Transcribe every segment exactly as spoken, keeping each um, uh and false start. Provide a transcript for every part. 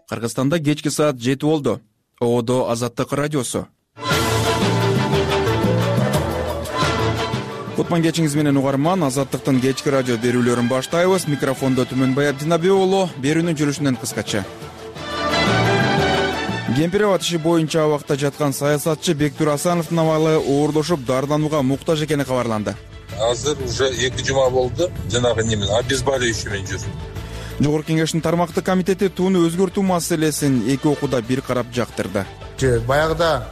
Кыргызстанда кечки саат жети болду. Оодо Азаттык радиосу. Кутман кечиңиз менен угарман. Азаттыктын кечки радио берүүлөрүн баштайбыз. Микрофондо Түмөнбай Абдинабиулу. Берүүнүн жүрүшүнөн кыскача. Кемпиребад иши боюнча абакта жаткан саясатчы Бектур Асановдун абалы оорлошуп, дарыланууга муктаж экени кабарланды. Азыр уже эки жума болду. Жанагы немен обезболивающий менен жүр. Жогорку Кеңештин тармактык комитети тууну өзгөртүү маселесин эки окууда бир карап жактырды. Баягыда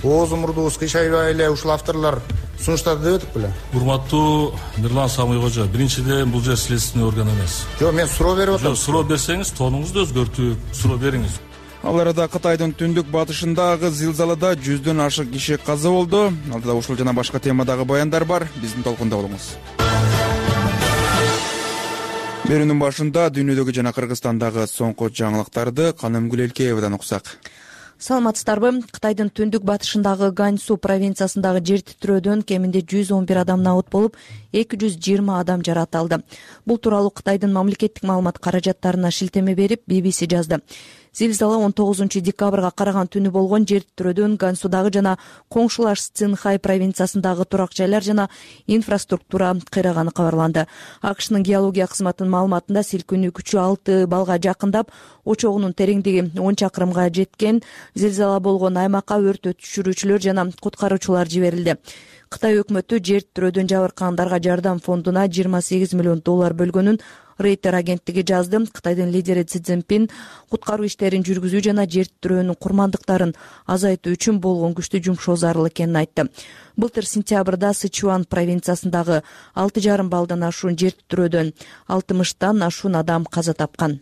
ооз мурдубуз кыйшайбай эле ушул авторлор сунуштарды деп атып беле. Урматтуу Мирлан Самыйкожо, биринчиден бул жер следственный орган эмес. Жок, мен суроо берип атам. Жок, суроо берсеңиз, тонуңузду өзгөртүп суроо бериңиз. Ал арада Кытайдын түндүк батышындагы зилзалада жүздөн ашык киши каза болду. Алдыда ушул жана башка темадагы баяндар бар. Биздин толкунда болуңуз. Берүүнүн башында дүйнөдөгү жана Кыргызстандагы соңку жаңылыктарды Каным Гүлелкеевадан уксак. Саламатсыздарбы? Кытайдын түндүк батышындагы Ганьсу провинциясындагы жер титирөөдөн кеминде жүз он бир адам набыт болуп, эки жүз жыйырма адам жаракат алды. Бул тууралуу Кытайдын мамлекеттик маалымат каражаттарына шилтеме берип би би си жазды. Зилзала он тогузунчу декабрга караган түнү болгон. Жер титирөөдөн Гансудагы жана коңшулаш Цинхай провинциясындагы турак жайлар жана инфраструктура кыйраганы кабарланды. АКШнын геология кызматынын маалыматында силкинүү күчү алты балга жакындап, очогунун тереңдиги он чакырымга жеткен. Зилзала болгон аймакка өрт өчүрүүчүлөр жана куткаруучулар жиберилди. Кытай өкмөтү жер титирөөдөн жабыркагандарга жардам фондуна жыйырма сегиз миллион доллар бөлгөнүн Рейтер агенттиги жазды. Кытайдын лидери Си Цзиньпин куткаруу иштерин жүргүзүү жана жер титирөөнүн курмандыктарын азайтуу үчүн болгон күчтү жумшоо зарыл экенин айтты. Былтыр сентябрда Сычуан провинциясындагы алты жарым балдан ашуун жер титирөөдөн алтымыштан ашуун адам каза тапкан.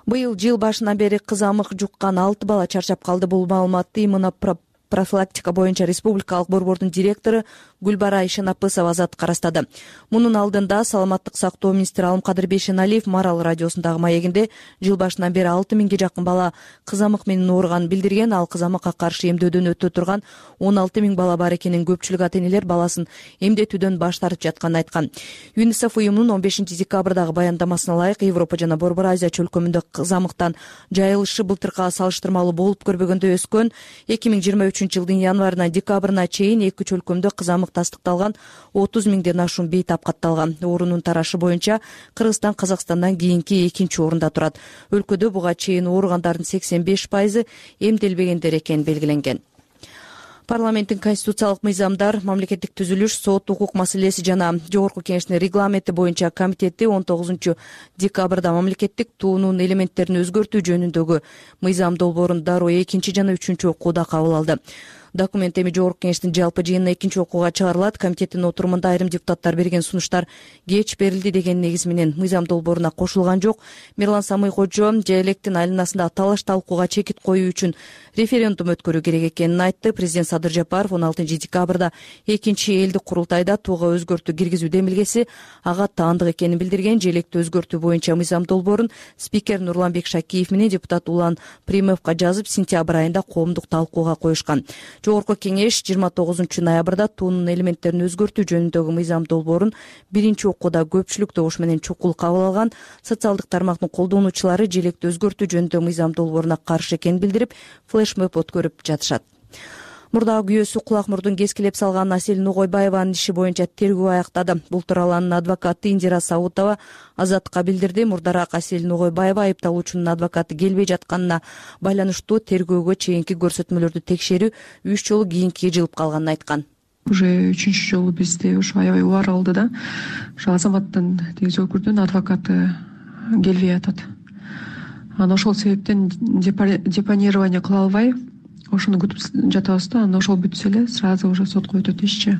Быйыл жыл башынан бери кызамык жуккан алты бала чарчап калды. Бул маалыматты иммунопрофилактика боюнча республикалык борбордун директору Гүлбара Ишенапысова Азаттыкка карастады. Мунун алдында саламаттык сактоо министри Алымкадыр Бейшеналиев Марал радиосундагы маегинде жыл башынан бери алты миңге жакын бала кызамык менен ооруганын билдирген. Ал кызамыкка каршы эмдөөдөн өтө турган он алты миң бала бар экенин, көпчүлүк ата-энелер баласын эмдетүүдөн баш тартып жатканын айткан. ЮНИСЕФ уюмунун он бешинчи декабрдагы баяндамасына ылайык Европа жана Борбор Азия чөлкөмүндө кызамыктан жайылышы былтыркыга салыштырмалуу болуп көрбөгөндө өскөн. эки миң жыйырма үчүнчү жылдын январынан декабрына чейин эки чөлкөмдө кызамык тастыкталган отуз миңден ашуун бейт апкатталган. Оорунун тарашы боюнча Кыргызстан Казакстандан кийинки экинчи орунда турат. Өлкөдө буга чейин ооругандардын сексен беш пайызы эмделбегендер экени белгиленген. Парламенттин конституциялык мыйзамдар, мамлекеттик түзүлүш, сот, укук маселеси жана Жогорку Кеңештин регламенти боюнча комитети он тогузунчу декабрда мамлекеттик туунун элементтерин өзгөртүү жөнүндөгү мыйзам долбоорун дароо экинчи жана үчүнчү окууда кабыл алды. Документ эми Жогорку Кеңештин жалпы жыйынына экинчи окууга чыгарылат. Комитеттин отурумунда айрым депутаттар берген сунуштар кеч берилди деген негиз менен мыйзам долбооруна кошулган жок. Мирлан Самыйкожо Желектин айланасында талаш талкууга чекит коюу үчүн референдум өткөрүү керек экенин айтты. Президент Садыр Жапаров он алтынчы декабрда экинчи элдик курултайда тууга өзгөртүү киргизүү демилгеси ага таандык экенин билдирген. Желекти өзгөртүү боюнча мыйзам долбоорун спикер Нурланбек Шакиев менен депутат Улан Примовго жазып, сентябрь айында коомдук талкууга коюшкан. Жогорку Кеңеш жыйырма тогузунчу ноябрда туунун элементтерин өзгөртүү жөнүндөгү мыйзам долбоорун биринчи окууда көпчүлүк добуш менен чукул кабыл алган. Социалдык тармактын колдонуучулары желекти өзгөртүү жөнүндөгү мыйзам долбооруна каршы экенин билдирип, флешмоб өткөрүп жатышат. Мурдагы күйөөсү кулак мурдун кескилеп салган Асель Нугойбаеванын иши боюнча тергөө аяктады. Бул тууралуу анын адвокаты Индира Саутова Азаттыкка билдирди. Мурдараак Асель Нугойбаева айыпталуучунун адвокаты келбей жатканына байланыштуу тергөөгө чейинки көрсөтмөлөрдү текшерүү үч жолу кийинки жылып калганын айткан. Уже үчүнчү жолу бизде ошо аябай убар алды да. Ошо азаматтын тегиз өкүрдүн адвокаты келбей атат. Анан ошол себептен депонирование кыла албай ошону күтүп жатабыз да. Анан ошол бүтсө эле сразу уже сотко өтөт ишчи.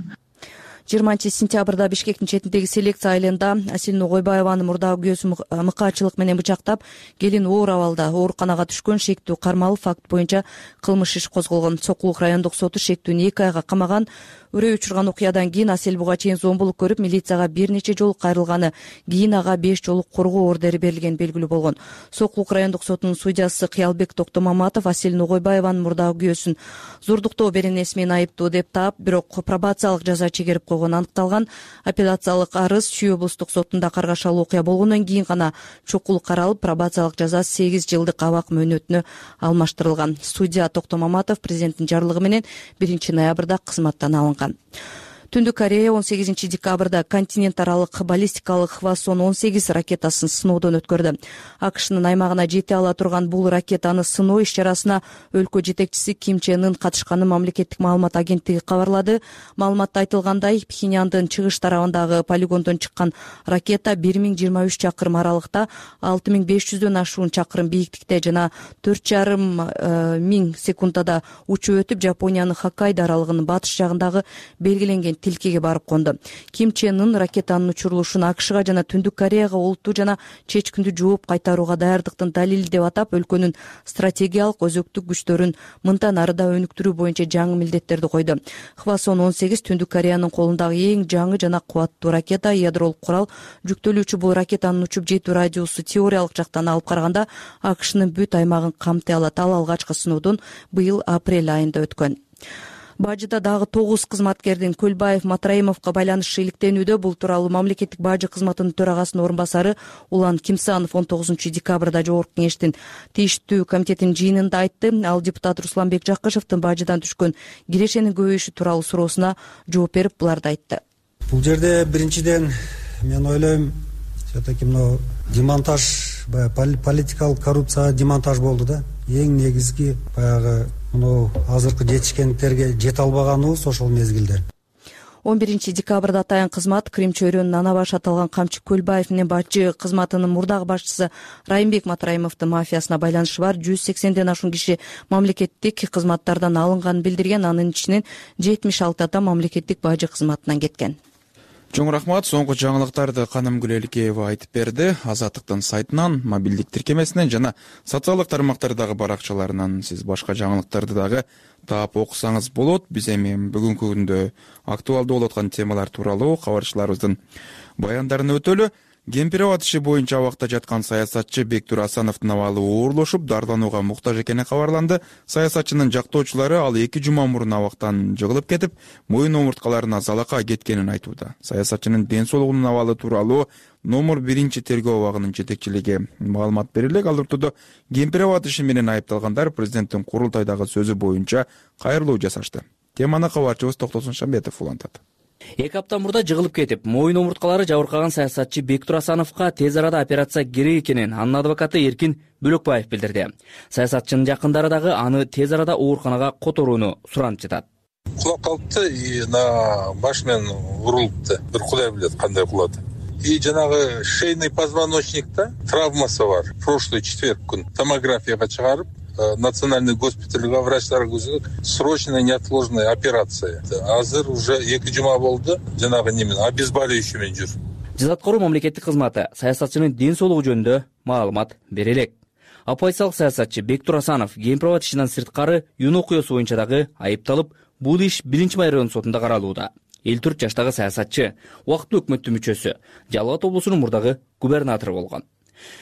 жыйырманчы сентябрда Бишкектин четиндеги селекция айылында Асель Нугойбаеваны мурдагы күйөөсү мыкаачылык менен бычактап, келин оор абалда ооруканага түшкөн. Шектүү кармалуу факт боюнча кылмыш иш козголгон. Сокулук райондук соту шектүүнү эки айга камаган. Үрөй учурган окуядан кийин Асель буга чейин зомбулук көрүп, милицияга бир нече жолу кайрылганы, кийин ага беш жолу коргоо ордери берилгени белгилүү болгон. Сокулук райондук сотунун судьясы Кыялбек Токтомаматов Асель Нугойбаеванын мурдагы күйөөсүн зордуктоо беренеси менен айыптуу деп таап, бирок пробациялык жаза чегерип койгон. жасалганы аныкталган. Апелляциялык арыз Чүй облустук сотунда каргашалуу окуя болгондон кийин гана чукул каралып, пробациялык жаза сегиз жылдык абак мөөнөтүнө алмаштырылган. Судья Токтоо Маматов президенттин жарлыгы менен биринчи ноябрда кызматтан алынган. Түндүк Корея он сегизинчи декабрда континент аралык баллистикалык Хвасон он сегиз ракетасын сыноодон өткөрдү. АКШнын аймагына жете ала турган бул ракетаны сыноо иш-чарасына өлкө жетекчиси Ким Чен Ын катышканын мамлекеттик маалымат агенттиги кабарлады. Маалыматта айтылгандай, Пхеньяндын чыгыш тарабындагы полигондон чыккан ракета бир миң жыйырма үч чакырым аралыкта алты миң беш жүздөн ашуун чакырым бийиктикте жана төрт жарым миң секундада учуп өтүп, Жапониянын Хоккайдо аралыгынын батыш жагындагы белгиленген тилкеге барып конду. Ким Чен Ын ракетанын учурулушун АКШга жана Түндүк Кореяга олуттуу жана чечкиндүү жооп кайтарууга даярдыктын далили деп атап, өлкөнүн стратегиялык өзөктүк күчтөрүн мындан ары да өнүктүрүү боюнча жаңы милдеттерди койду. Хвасон он сегиз Түндүк Кореянын колундагы эң жаңы жана кубаттуу ракета, ядролук курал жүктөлүүчү. Бул ракетанын учуп жетүү радиусу теориялык жактан алып караганда АКШнын бүт аймагын камтый алат. Ал алгачкы сыноодон быйыл апрель айында өткөн. Бажыда дагы тогуз кызматкердин Көлбаев Матраимовго байланышы иликтенүүдө. Бул тууралуу мамлекеттик бажы кызматынын төрагасынын орун басары Улан Кимсанов он тогузунчу декабрда жогорку кеңештин тийиштүү комитетинин жыйынында айтты. Ал депутат Русланбек Жакышевдин бажыдан түшкөн кирешенин көбөйүшү тууралуу суроосуна жооп берип буларды айтты. Бул жерде биринчиден мен ойлойм, все-таки мына демонтаж, политикалык коррупция демонтаж болду да. Эң негизги баягы мына азыркы жетишкендиктерге жете албаганыбыз ошол мезгилде. он биринчи декабрда атайын кызмат Крим чөйрөнүн ана башы аталган Камчы Көлбаев менен бажы кызматынын мурдагы башчысы Райымбек Матраимовдун мафиясына байланышы бар жүз сексенден ашуун киши мамлекеттик кызматтардан алынганын билдирген. Анын ичинен жетимиш алты адам мамлекеттик бажы кызматынан кеткен. Чоң рахмат. Соңку жаңылыктарды Каным Гүлеликеева айтып берди. Азаттыктын сайтынан, мобилдик тиркемесинен жана социалдык тармактардагы баракчаларынан сиз башка жаңылыктарды дагы таап окусаңыз болот. Биз эми бүгүнкү күндө актуалдуу болуп аткан темалар тууралуу кабарчыларыбыздын баяндарын өтөлү. Кемпирова иши боюнча абакта жаткан саясатчы Бектур Асановдун абалы оорлошуп, дарданууга муктаж экени кабарланды. Саясатчынын жактоочулары ал эки жума мурун абактан жыгылып кетип, моюн омурткаларына залака кеткенин айтууда. Саясатчынын ден соолугунун абалы тууралуу номер биринчи тергөө абагынын жетекчилиги маалымат берилек. Ал ортодо Кемпирова иши менен айыпталгандар президенттин курултайдагы сөзү боюнча кайрылуу жасашты. Теманы кабарчыбыз Токтосун Шамбетов улантат. Эки апта мурда жыгылып кетип, моюн омурткалары жабыркаган саясатчы Бектур Асановго тез арада операция керек экенин анын адвокаты Эркин Бөлөкбаев билдирди. Саясатчынын жакындары дагы аны тез арада ооруканага которууну суранып жатат. Кулап калыпты, и на баш менен урулупту. Бир Кудай билет кандай кулады. И жанагы шейный позвоночникте травмасы бар. Прошлый четверг күн томографияга чыгарып, национальный госпитальга врачтар көзөк срочная неотложная операция. Азыр уже эки жума болду. Жанагы немен обезболивающий менен жүр. Жазаткоруу мамлекеттик кызматы саясатчынын ден соолугу жөнүндө маалымат бере элек. Оппозициялык саясатчы Бектур Асанов Кемпирова ишинен сырткары юун окуясы боюнча дагы айыпталып, бул иш биринчи майрон сотунда каралууда. элүү төрт жаштагы саясатчы убактылуу өкмөттүн мүчөсү, Жалал Абад облусунун мурдагы губернатору болгон.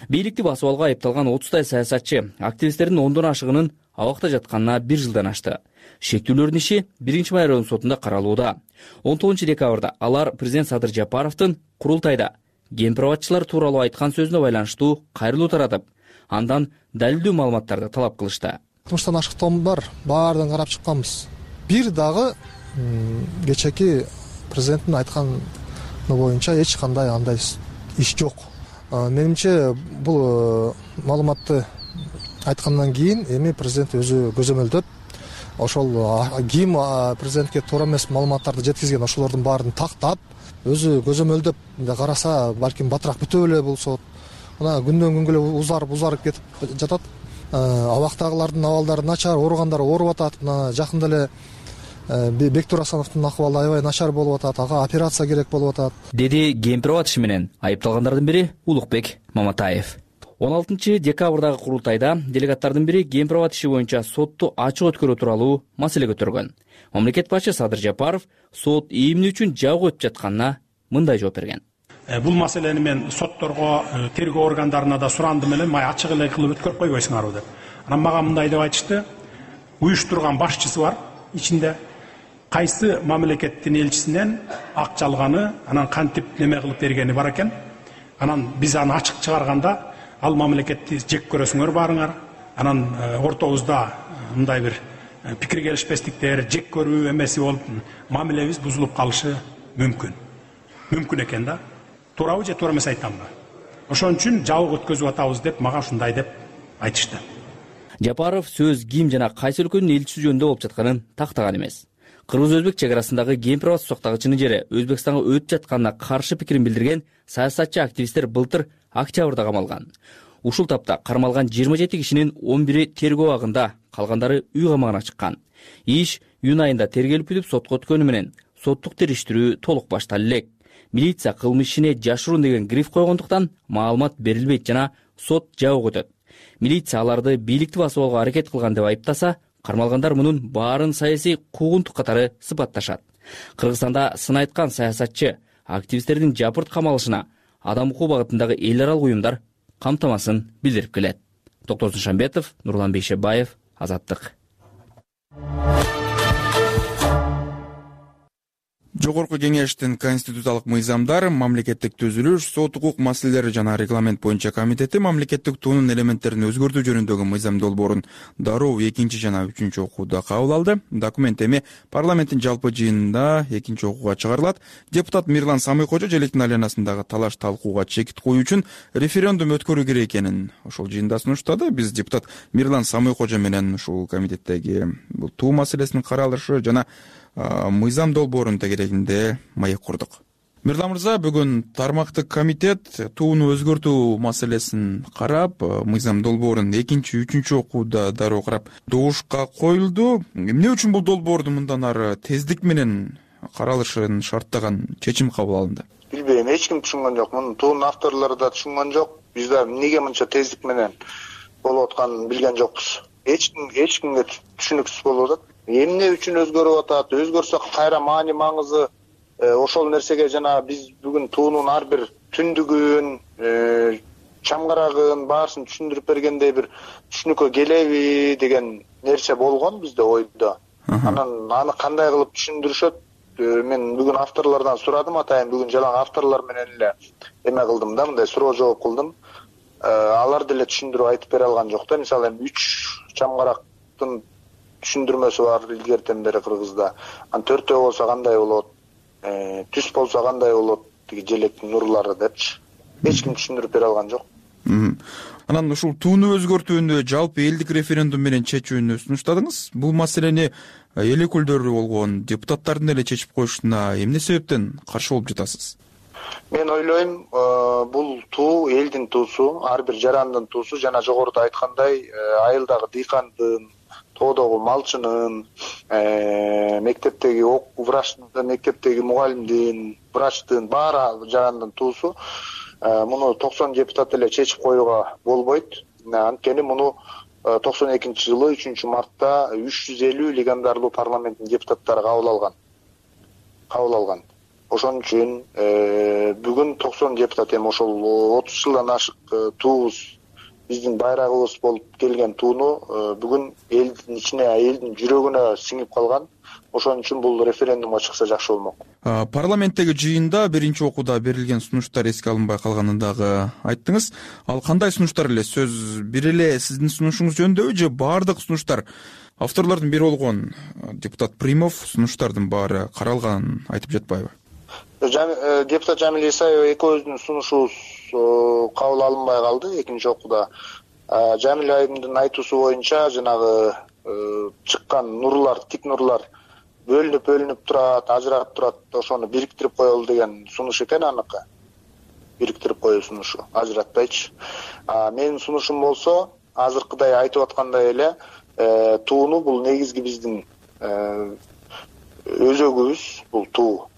Бийликти басып алууга айыпталган отуздай саясатчы активисттердин ондон ашыгынын абакта жатканына бир жылдан ашты. Шектүүлөрдүн иши биринчи майрон сотунда каралууда. он тогузунчу декабрда алар президент Садыр Жапаровдун курултайда кемпироватчылар тууралуу айткан сөзүнө байланыштуу кайрылуу таратып, андан далилдүү маалыматтарды талап кылышты. Кылмыштан ашыктоом бар, баардыгын карап чыкканбыз. Бир дагы кечеки президенттин айтканы боюнча эч кандай андай иш жок. Менимче бул маалыматты айткандан кийин эми президент өзү көзөмөлдөп, ошол ким президентке туура эмес маалыматтарды жеткизген ошолордун баарын тактап, өзү көзөмөлдөп караса, балким батыраак бүтө эле болсо, мына күндөн күнгө эле узарып узарып кетип жатат. Абактагылардын абалдары начар, ооругандар ооруп атат. Мына жакында эле Бектур Асановдун акыбалы аябай начар болуп атат, ага операция керек болуп атат, деди Кемпирова иши менен айыпталгандардын бири Улукбек Маматаев. он алтынчы декабрдагы курултайда делегаттардын бири Кемпирова иши боюнча сотту ачык өткөрүү тууралуу маселе көтөргөн. Мамлекет башчы Садыр Жапаров сот ийимдүү үчүн жабык өтүп жатканына мындай жооп берген. Бул маселени мен сотторго, тергөө органдарына да сурандым эле, май ачык эле кылып өткөрүп койбойсуңарбы деп. Анан мага мындай деп айтышты: уюштурган башчысы бар ичинде. кайсы мамлекеттин элчисинен акча алганы, анан кантип неме кылып бергени бар экен. Анан биз аны ачык чыгарганда ал мамлекетти жек көрөсүңөр баарыңар. Анан ортобузда мындай бир пикир келишпестиктер, жек көрүү эмеси болуп, мамилебиз бузулуп калышы мүмкүн. Мүмкүн экен да. Туурабы же туура эмес айтамбы? Ошон үчүн жабык өткөзүп атабыз деп мага ушундай деп айтышты. Жапаров сөз ким жана кайсы өлкөнүн элчиси жөнүндө болуп жатканын тактаган эмес. Кыргыз-өзбек чек арасындагы Кемпир-Абад сактагычынын жери Өзбекстанга өтүп жатканына каршы пикирин билдирген саясатчы активисттер былтыр октябрда камалган. Ушул тапта кармалган жыйырма жети кишинин он бири тергөө абагында, калгандары үй камагына чыккан. Иш июнь айында тергелип бүтүп сотко өткөнү менен соттук териштирүү толук башталып элек. Милиция кылмыш ишине жашыруун деген гриф койгондуктан маалымат берилбейт жана сот жабык өтөт. Милиция аларды бийликти басып алууга аракет кылган деп айыптаса, кармалгандар мунун баарын саясий куугунтук катары сыпатташат. Кыргызстанда сын айткан саясатчы активисттердин жапырт камалышына адам укугу багытындагы эл аралык уюмдар камтамасын билдирип келет. Токтор Душанбетов, Нурлан Бейшебаев, Азаттык. Жогорку кеңештин конституциялык мыйзамдар, мамлекеттик түзүлүш, сот укук маселелери жана регламент боюнча комитети мамлекеттик туунун элементтерин өзгөртүү жөнүндөгү мыйзам долбоорун дароо экинчи жана үчүнчү окууда кабыл алды. Документ эми парламенттин жалпы жыйынында экинчи окууга чыгарылат. Депутат Мирлан Самыйкожо желектин айланасындагы талаш талкууга чекит коюу үчүн референдум өткөрүү керек экенин ошол жыйында сунуштады. Биз депутат Мирлан Самыйкожо менен ушул комитеттеги бул туу маселесинин каралышы жана мыйзам долбоорунун тегерегинде маек курдук. Мирлан мырза, бүгүн тармактык комитет тууну өзгөртүү маселесин карап, мыйзам долбоорун экинчи, үчүнчү окууда дароо карап добушка коюлду. Эмне үчүн бул долбоордун мындан ары тездик менен каралышын шарттаган чечим кабыл алынды? Билбейм, эч ким түшүнгөн жок. Мунун туунун авторлору да түшүнгөн жок. Биз да эмнеге мынча тездик менен болуп атканын билген жокпуз. Эч ким эч кимге түшүнүксүз болуп атат. Эмне үчүн өзгөрүп атат? Өзгөрсө кайра маани маңызы ошол нерсеге жана биз бүгүн туунун ар бир түндүгүн, чамгарагын баарысын түшүндүрүп бергендей бир түшүнүккө келеби деген нерсе болгон бизде ойдо. Анан аны кандай кылып түшүндүрүшөт? Мен бүгүн авторлордон сурадым, атайын бүгүн жалаң авторлор менен эле эме кылдым да, мындай суроо жооп кылдым. Алар деле түшүндүрүп айтып бере алган жок да. Мисалы эми үч чамгарактын түшүндүрмөсү бар илгертен бери Кыргызда. Ан төртөө болсо кандай болот? Түз болсо кандай болот? Тиги желектин нурлары депчи. Эч ким түшүндүрүп бере алган жок. Анан ушул тууну өзгөртүүнү жалпы элдик референдум менен чечүүнү сунуштадыңыз. Бул маселени эл өкүлдөрү болгон депутаттардын эле чечип коюшуна эмне себептен каршы болуп жатасыз? Мен ойлойм, бул туу элдин туусу, ар бир жарандын туусу жана жогоруда айткандай айылдагы дыйкандын, тоодогу малчынын, мектептеги врачтын, мектептеги мугалимдин, врачтын баары жарандын туусу. Муну токсон депутат эле чечип коюуга болбойт. Анткени муну токсон экинчи жылы үчүнчү мартта үч жүз элүү легендарлуу парламенттин депутаттары кабыл алган. Кабыл алган. Ошон үчүн бүгүн токсон депутат эми ошол отуз жылдан ашык туубуз, биздин байрагыбыз болуп келген тууну бүгүн элдин ичине, элдин жүрөгүнө сиңип калган. Ошон үчүн бул референдумга чыкса жакшы болмок. Парламенттеги жыйында биринчи окууда берилген сунуштар эске алынбай калганын дагы айттыңыз. Ал кандай сунуштар эле? Сөз бир эле сиздин сунушуңуз жөнүндөбү же баардык сунуштар? Авторлордун бири болгон депутат Примов сунуштардын баары каралганын айтып жатпайбы? Депутат Жамил Исаев экөөбүздүн сунушубуз кабыл алынбай калды экинчи окууда. Жамил айымдын айтуусу боюнча жанагы чыккан нурлар, тик нурлар бөлүнүп бөлүнүп турат, ажырап турат, ошону бириктирип коелу деген сунуш экен аныкы. Бириктирип коюу сунушу, ажыратпайчы. Менин сунушум болсо, азыркыдай айтып аткандай эле, тууну бул негизги биздин өзөгүбүз, бул туу.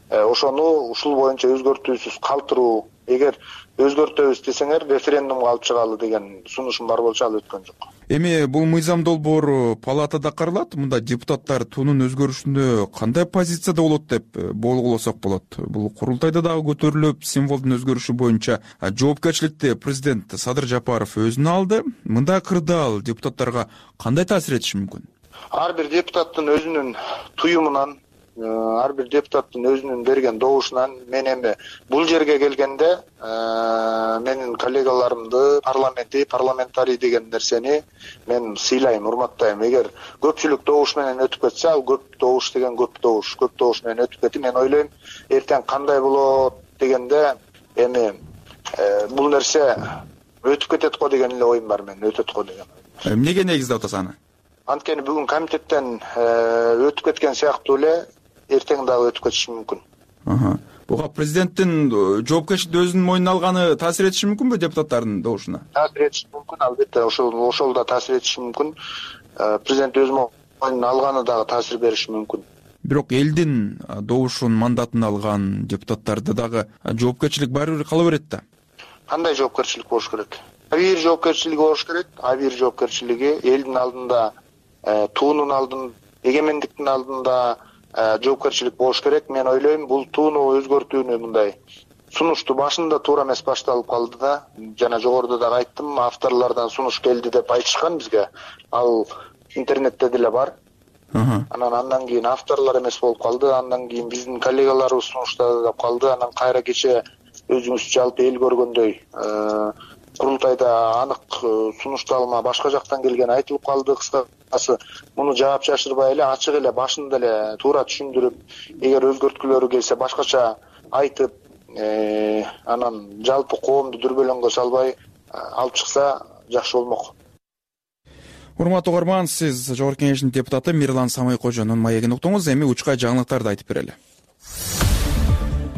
Ошону ушул боюнча өзгөртүүсүз калтыруу, эгер өзгөртөбүз десеңер референдумга алып чыгалы деген сунушум бар болчу, ал өткөн жок. Эми бул мыйзам долбоору палатада каралат. Мында депутаттар туунун өзгөрүшүндө кандай позицияда болот деп болгулосок болот. Бул курултайда дагы көтөрүлүп, символдун өзгөрүшү боюнча жоопкерчиликти президент Садыр Жапаров өзүнө алды. Мындай кырдаал депутаттарга кандай таасир этиши мүмкүн? ар бир депутаттын өзүнүн туюмунан, ар бир депутаттын өзүнүн берген добушунан мен эми бул жерге келгенде менин коллегаларымды, парламенти, парламентарий деген нерсени мен сыйлайм, урматтайм. Эгер көпчүлүк добуш менен өтүп кетсе, ал көп добуш деген көп добуш, көп добуш менен өтүп кетти. Мен ойлойм, эртең кандай болот дегенде эми бул нерсе өтүп кетет го деген эле оюм бар, мен өтөт го деген. Эмнеге негиздеп атасыз аны? Анткени бүгүн комитеттен өтүп кеткен сыяктуу эле эртең дагы өтүп кетиши мүмкүн. Буга президенттин жоопкерчиликти өзүнүн мойнуна алганы таасир этиши мүмкүнбү депутаттардын добушуна? Таасир этиши мүмкүн, албетте, ошол ошол да таасир этиши мүмкүн. Президент өз мойнуна алганы дагы таасир бериши мүмкүн. Бирок элдин добушун, мандатын алган депутаттарды дагы жоопкерчилик баары бир кала берет да. Кандай жоопкерчилик болуш керек? Абийир жоопкерчилиги болуш керек. Абийир жоопкерчилиги элдин алдында, туунун алдында, эгемендиктин алдында жоопкерчилик болуш керек. Мен ойлойм, бул тууну өзгөртүүнү мындай сунушту башында туура эмес башталып калды да. Жана жогоруда дагы айттым, авторлордон сунуш келди деп айтышкан бизге. Ал интернетте деле бар. Анан андан кийин авторлор эмес болуп калды, андан кийин биздин коллегаларыбыз сунуштады деп калды. Анан кайра кече өзүңүз жалпы эл көргөндөй курултайда анык сунушталма башка жактан келгени айтылып калды. Кыскасы, муну жаап жашырбай эле, ачык эле башында эле туура түшүндүрүп, эгер өзгөрткүлөрү келсе башкача айтып, анан жалпы коомду дүрбөлөңгө салбай алып чыкса жакшы болмок. Урматтуу угарман, сиз Жогорку Кеңештин депутаты Мирлан Самайкожонун маегин уктуңуз. Эми учка жаңылыктарды айтып берели.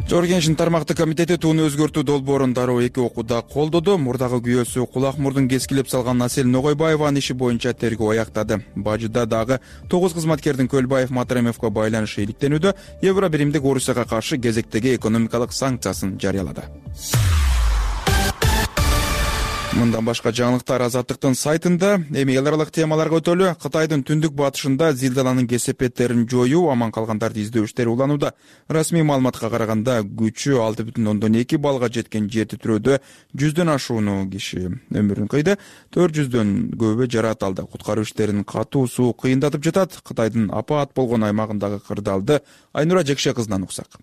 Жогорку Кеңештин тармактык комитети тууну өзгөртүү долбоорун дароо эки окууда колдоду. Мурдагы күйөөсү кулак мурдун кескилеп салган Асель Ногойбаеванын иши боюнча тергөө аяктады. Бажыда дагы тогуз кызматкердин Көлбаев Матремовго байланышы иликтенүүдө. Евро биримдик Орусияга каршы кезектеги экономикалык санкциясын жарыялады. Мындан башка жаңылыктар Азаттыктын сайтында. Эми эл аралык темаларга өтөлү. Кытайдын түндүк батышында зилзаланын кесепеттерин жоюу, аман калгандарды издөө иштери уланууда. Расмий маалыматка караганда күчү алты бүтүн ондон эки баллга жеткен жер титирөөдө жүздөн ашууну киши өмүрүн кыйды, төрт жүздөн көбү жаракат алды. Куткаруу иштерин катуу суу кыйындатып жатат. Кытайдын апаат болгон аймагындагы кырдаалды Айнура Жекше кызынан уксак.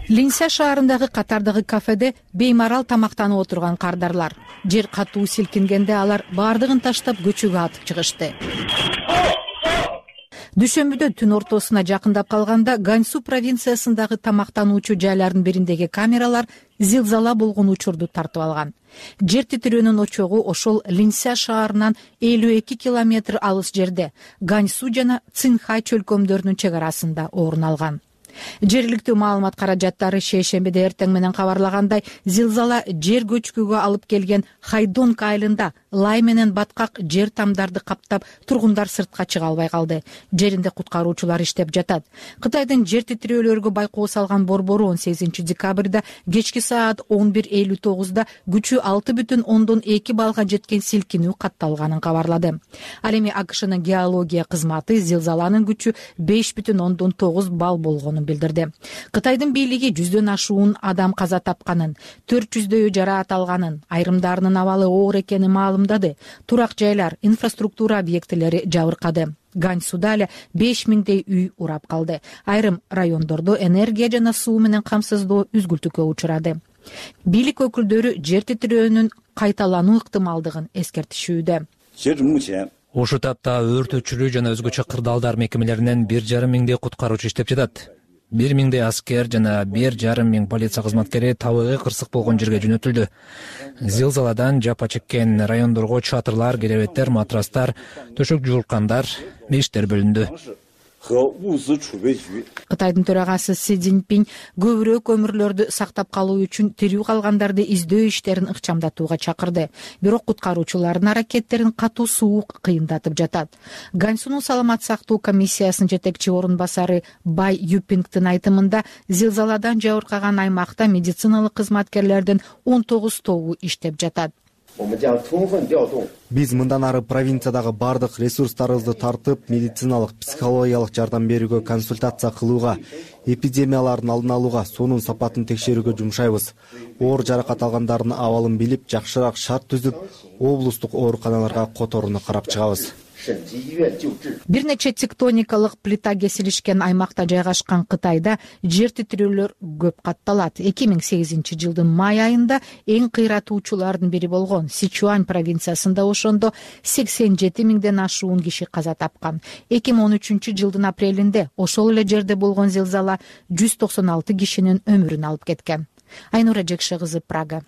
Линься шаарындагы катардагы кафеде беймарал тамактанып отурган кардарлар. Жер катуу силкингенде алар баардыгын таштап көчөгө атып чыгышты. Дүйшөмбүдө түн ортосуна жакындап калганда Ганьсу провинциясындагы тамактануучу жайлардын бириндеги камералар зилзала болгон учурду тартып алган. Жер титирөөнүн очогу ошол Линься шаарынан элүү эки километр алыс жерде, Ганьсу жана Цинхай чөлкөмдөрүнүн чек арасында орун алган. Жергиликтүү маалымат каражаттары шейшембиде эртең менен кабарлагандай, зилзала жер көчкүгө алып келген Хайдонг айылында лай менен баткак жер тамдарды каптап, тургундар сыртка чыга албай калды. Жеринде куткаруучулар иштеп жатат. Кытайдын жер титирөөлөргө байкоо салган борбору он сегизинчи декабрда кечки саат он бир элүү тогузда күчү алты бүтүн ондон эки баллга жеткен силкинүү катталганын кабарлады. Ал эми АКШнын геология кызматы зилзаланын күчү беш бүтүн ондон тогуз балл болгонун билдирди. Кытайдын бийлиги жүздөн ашуун адам каза тапканын, төрт жүздөйү жаракат алганын, айрымдарынын абалы оор экенин маалымдады. Турак жайлар, инфраструктура объектилери жабыркады. Ганьсуда эле беш миңдей үй урап калды. Айрым райондордо энергия жана суу менен камсыздоо үзгүлтүккө учурады. Бийлик өкүлдөрү жер титирөөнүн кайталануу ыктымалдыгын эскертишүүдө. Ошол тапта өрт өчүрүү жана өзгөчө кырдаалдар мекемелеринен бир жарым миңдей куткаруучу иштеп жатат. Бир миңдей аскер жана бир жарым миң полиция кызматкери табыгы кырсык болгон жерге жөнөтүлдү. Зилзаладан жапа чеккен райондорго чатырлар, керебеттер, матрастар, төшөк жуулкандар, миштер бөлүндү. Кытайдын төрагасы Си Цзиньпин көбүрөөк өмүрлөрдү сактап калуу үчүн тирүү калгандарды издөө иштерин ыкчамдатууга чакырды. Бирок куткаруучулардын аракеттерин катуу суу кыйындатып жатат. Ганьсунун саламат сактоо комиссиясынын жетекчи орун басары Бай Юпингдин айтымында, зилзаладан жабыркаган аймакта медициналык кызматкерлердин он тогуз тобу иштеп жатат. Биз мындан ары провинциядагы бардык ресурстарыбызды тартып, медициналык, психологиялык жардам берүүгө, консультация кылууга, эпидемиялардын алдын алууга, суунун сапатын текшерүүгө жумшайбыз. Оор жаракат алгандардын абалын билип, жакшыраак шарт түзүп, облустук ооруканаларга которууну карап чыгабыз. бир нече тектоникалык плита кесилишкен аймакта жайгашкан Кытайда жер титирөөлөр көп катталат. эки миң сегизинчи жылдын май айында эң кыйратуучулардын бири болгон Сичуань провинциясында ошондо сексен жети миңден ашуун киши каза тапкан. эки миң он үчүнчү жылдын апрелинде ошол эле жерде болгон зилзала жүз токсон алты кишинин өмүрүн алып кеткен. Айнура Жекше кызы, Прага.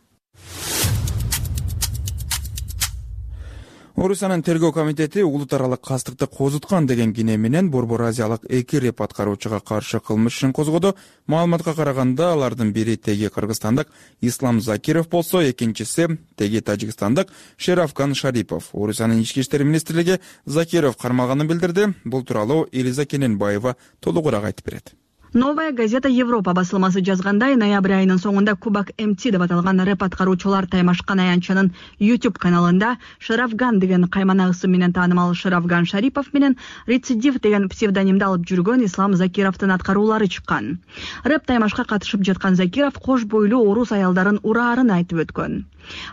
Орусиянын тергөө комитети улут аралык кастыкты козуткан деген кине менен Борбор Азиялык эки реп аткаруучуга каршы кылмыш ишин козгоду. Маалыматка караганда алардын бири теги кыргызстандык Ислам Закиров болсо, экинчиси теги тажикстандык Шерафган Шарипов. Орусиянын ички иштер министрлиги Закиров кармалганын билдирди. Бул тууралуу Элиза Кененбаева толугураак айтып берет. Новая газета Европа басылмасы жазгандай, ноябрь айынын соңунда Кубак эм ти деп аталган рэп аткаруучулар таймашкан аянтчанын YouTube каналында Шерафган деген каймана ысым менен таанымал Шерафган Шарипов менен Рецидив деген псевдонимди алып жүргөн Ислам Закировдун аткаруулары чыккан. Рэп таймашка катышып жаткан Закиров кош бойлуу орус аялдарын ураарын айтып өткөн.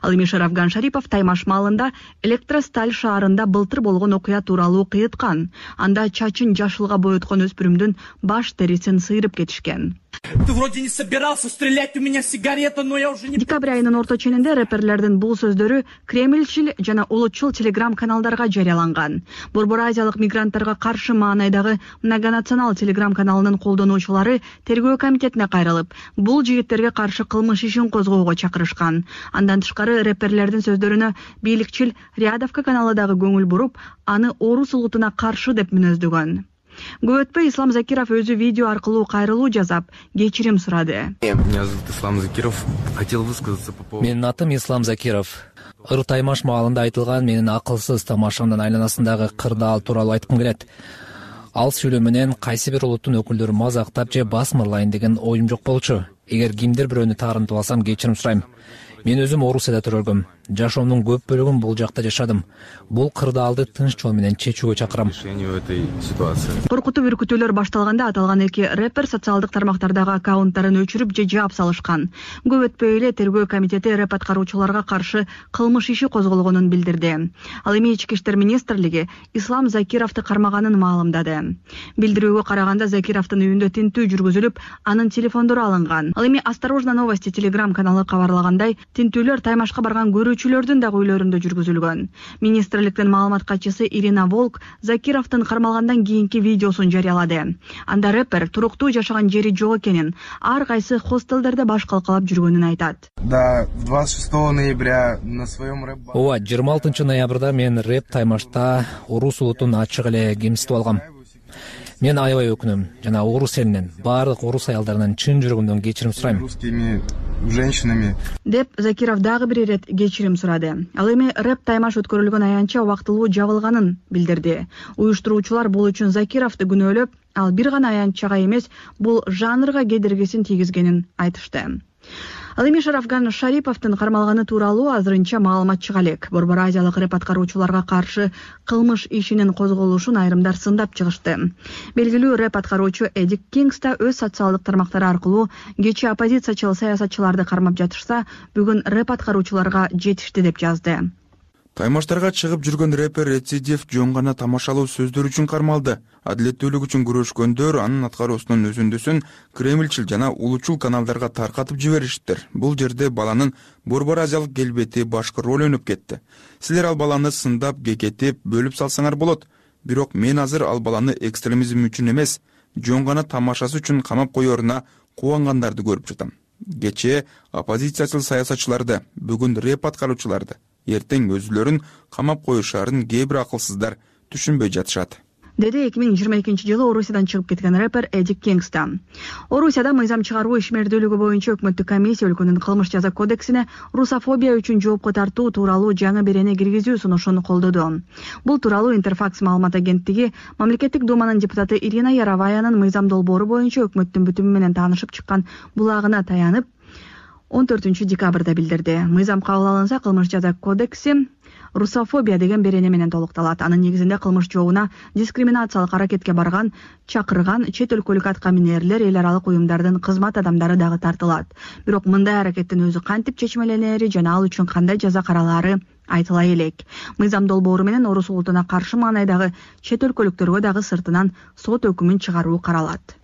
Ал эми Шерафган Шарипов таймаш маалында Электросталь шаарында былтыр болгон окуя тууралуу кыйыткан. Анда чачын жашылга боёткон өспүрүмдүн баш терисин сыйрып кетишкен. Ты вроде не собирался стрелять, у меня сигарета, но я уже не... Декабрь айынын орто ченинде рэперлердин бул сөздөрү Кремльчил жана улутчул телеграм каналдарга жарыяланган. Борбор Азиялык мигранттарга каршы маанайдагы многонационал телеграм каналынын колдонуучулары тергөө комитетине кайрылып, бул жигиттерге каршы кылмыш ишин козгоого чакырышкан. Андан тышкары рэперлердин сөздөрүнө бийликчил Рядовка каналы дагы көңүл буруп, аны орус улутуна каршы деп мүнөздөгөн. Көп өтпөй Ислам Закиров өзү видео аркылуу кайрылуу жасап, кечирим сурады. Меня зовут Ислам Закиров. Хотел высказаться по поводу... Менин атым Ислам Закиров. Ыр таймаш маалында айтылган менин акылсыз тамашамдын айланасындагы кырдаал тууралуу айткым келет. Ал сүйлөө менен кайсы бир улуттун өкүлдөрү мазактап же басмырлайын деген оюм жок болчу. Эгер кимдир бирөөнү таарынтып алсам, кечирим сурайм. Мен өзүм Орусияда төрөлгөм. Жашоомдун көп бөлүгүн бул жакта жашадым. Бул кырдаалды тынч жол менен чечүүгө чакырам. Коркутуп үркүтүүлөр башталганда аталган эки рэпер социалдык тармактардагы аккаунттарын өчүрүп же жаап салышкан. Көп өтпөй эле тергөө комитети рэп аткаруучуларга каршы кылмыш иши козголгонун билдирди. Ал эми ички иштер министрлиги Ислам Закировду кармаганын маалымдады. Билдирүүгө караганда Закировдун үйүндө тинтүү жүргүзүлүп, анын телефондору алынган. Ал эми Осторожно новости телеграм каналы кабарлагандай, тинтүүлөр таймашка барган көрүүчүлөрдүн дагы үйлөрүндө жүргүзүлгөн. Министрликтин маалымат катчысы Ирина Волк Закировдун кармалгандан кийинки видеосун жарыялады. Анда рэпер туруктуу жашаган жери жок экенин, ар кайсы хостелдерде баш калкалап жүргөнүн айтат. Да, двадцать шестого ноября на своем рэп... Ооба, жыйырма алтынчы ноябрда мен рэп таймашта орус улутун ачык эле кемситип алгам. Мен аябай өкүнөм жана орус элинен, баардык орус аялдарынан чын жүрөгүмдөн кечирим сурайм. Русскими женщинами. Деп Закиров дагы бир ирет кечирим сурады. Ал эми рэп таймаш өткөрүлгөн аянтча убактылуу жабылганын билдирди. Уюштуруучулар бул үчүн Закировду күнөөлөп, ал бир гана аянтчага эмес, бул жанрга кедергисин тийгизгенин айтышты. Ал эми Шерафган Шариповдун кармалганы тууралуу азырынча маалымат чыга элек. Борбор Азиялык рэп аткаруучуларга каршы кылмыш ишинин козголушун айрымдар сындап чыгышты. Белгилүү рэп аткаруучу Эдик Кингс да өз социалдык тармактары аркылуу кечээ оппозициячыл саясатчыларды кармап жатышса, бүгүн рэп аткаруучуларга жетишти деп жазды. Таймаштарга чыгып жүргөн рэпер Рецидив жөн гана тамашалуу сөздөр үчүн кармалды. Адилеттүүлүк үчүн күрөшкөндөр анын аткаруусунун өзүндүсүн Кремльчил жана улутчул каналдарга таркатып жибериштир. Бул жерде баланын Борбор Азиялык келбети башкы роль өнүп кетти. Силер ал баланы сындап, кекетип, бөлүп салсаңар болот. Бирок мен азыр ал баланы экстремизм үчүн эмес, жөн гана тамашасы үчүн камап коеруна кубангандарды көрүп жатам. Кечээ оппозициячыл саясатчыларды, бүгүн рэп аткаруучуларды, эртең өзүлөрүн камап коюшаарын кээ бир акылсыздар түшүнбөй жатышат. Деди эки миң жыйырма экинчи жылы Орусиядан чыгып кеткен рэпер Эдик Кингс. Орусияда мыйзам чыгаруу ишмердүүлүгү боюнча өкмөттүк комиссия өлкөнүн кылмыш жаза кодексине русофобия үчүн жоопко тартуу тууралуу жаңы берене киргизүү сунушун колдоду. Бул тууралуу Интерфакс маалымат агенттиги мамлекеттик думанын депутаты Ирина Яроваянын мыйзам долбоору боюнча өкмөттүн бүтүмү менен таанышып чыккан булагына таянып он төртүнчү декабрда билдирди. Мыйзам кабыл алынса, кылмыш жаза кодекси русофобия деген берене менен толукталат. Анын негизинде кылмыш жообуна дискриминациялык аракетке барган, чакырган чет өлкөлүк атка минерлер, эл аралык уюмдардын кызмат адамдары дагы тартылат. Бирок мындай аракеттин өзү кантип чечмеленери жана ал үчүн кандай жаза каралаары айтыла элек. Мыйзам долбоору менен Орус улутуна каршы маанайдагы чет өлкөлүктөргө дагы сыртынан сот өкүмүн чыгаруу каралат.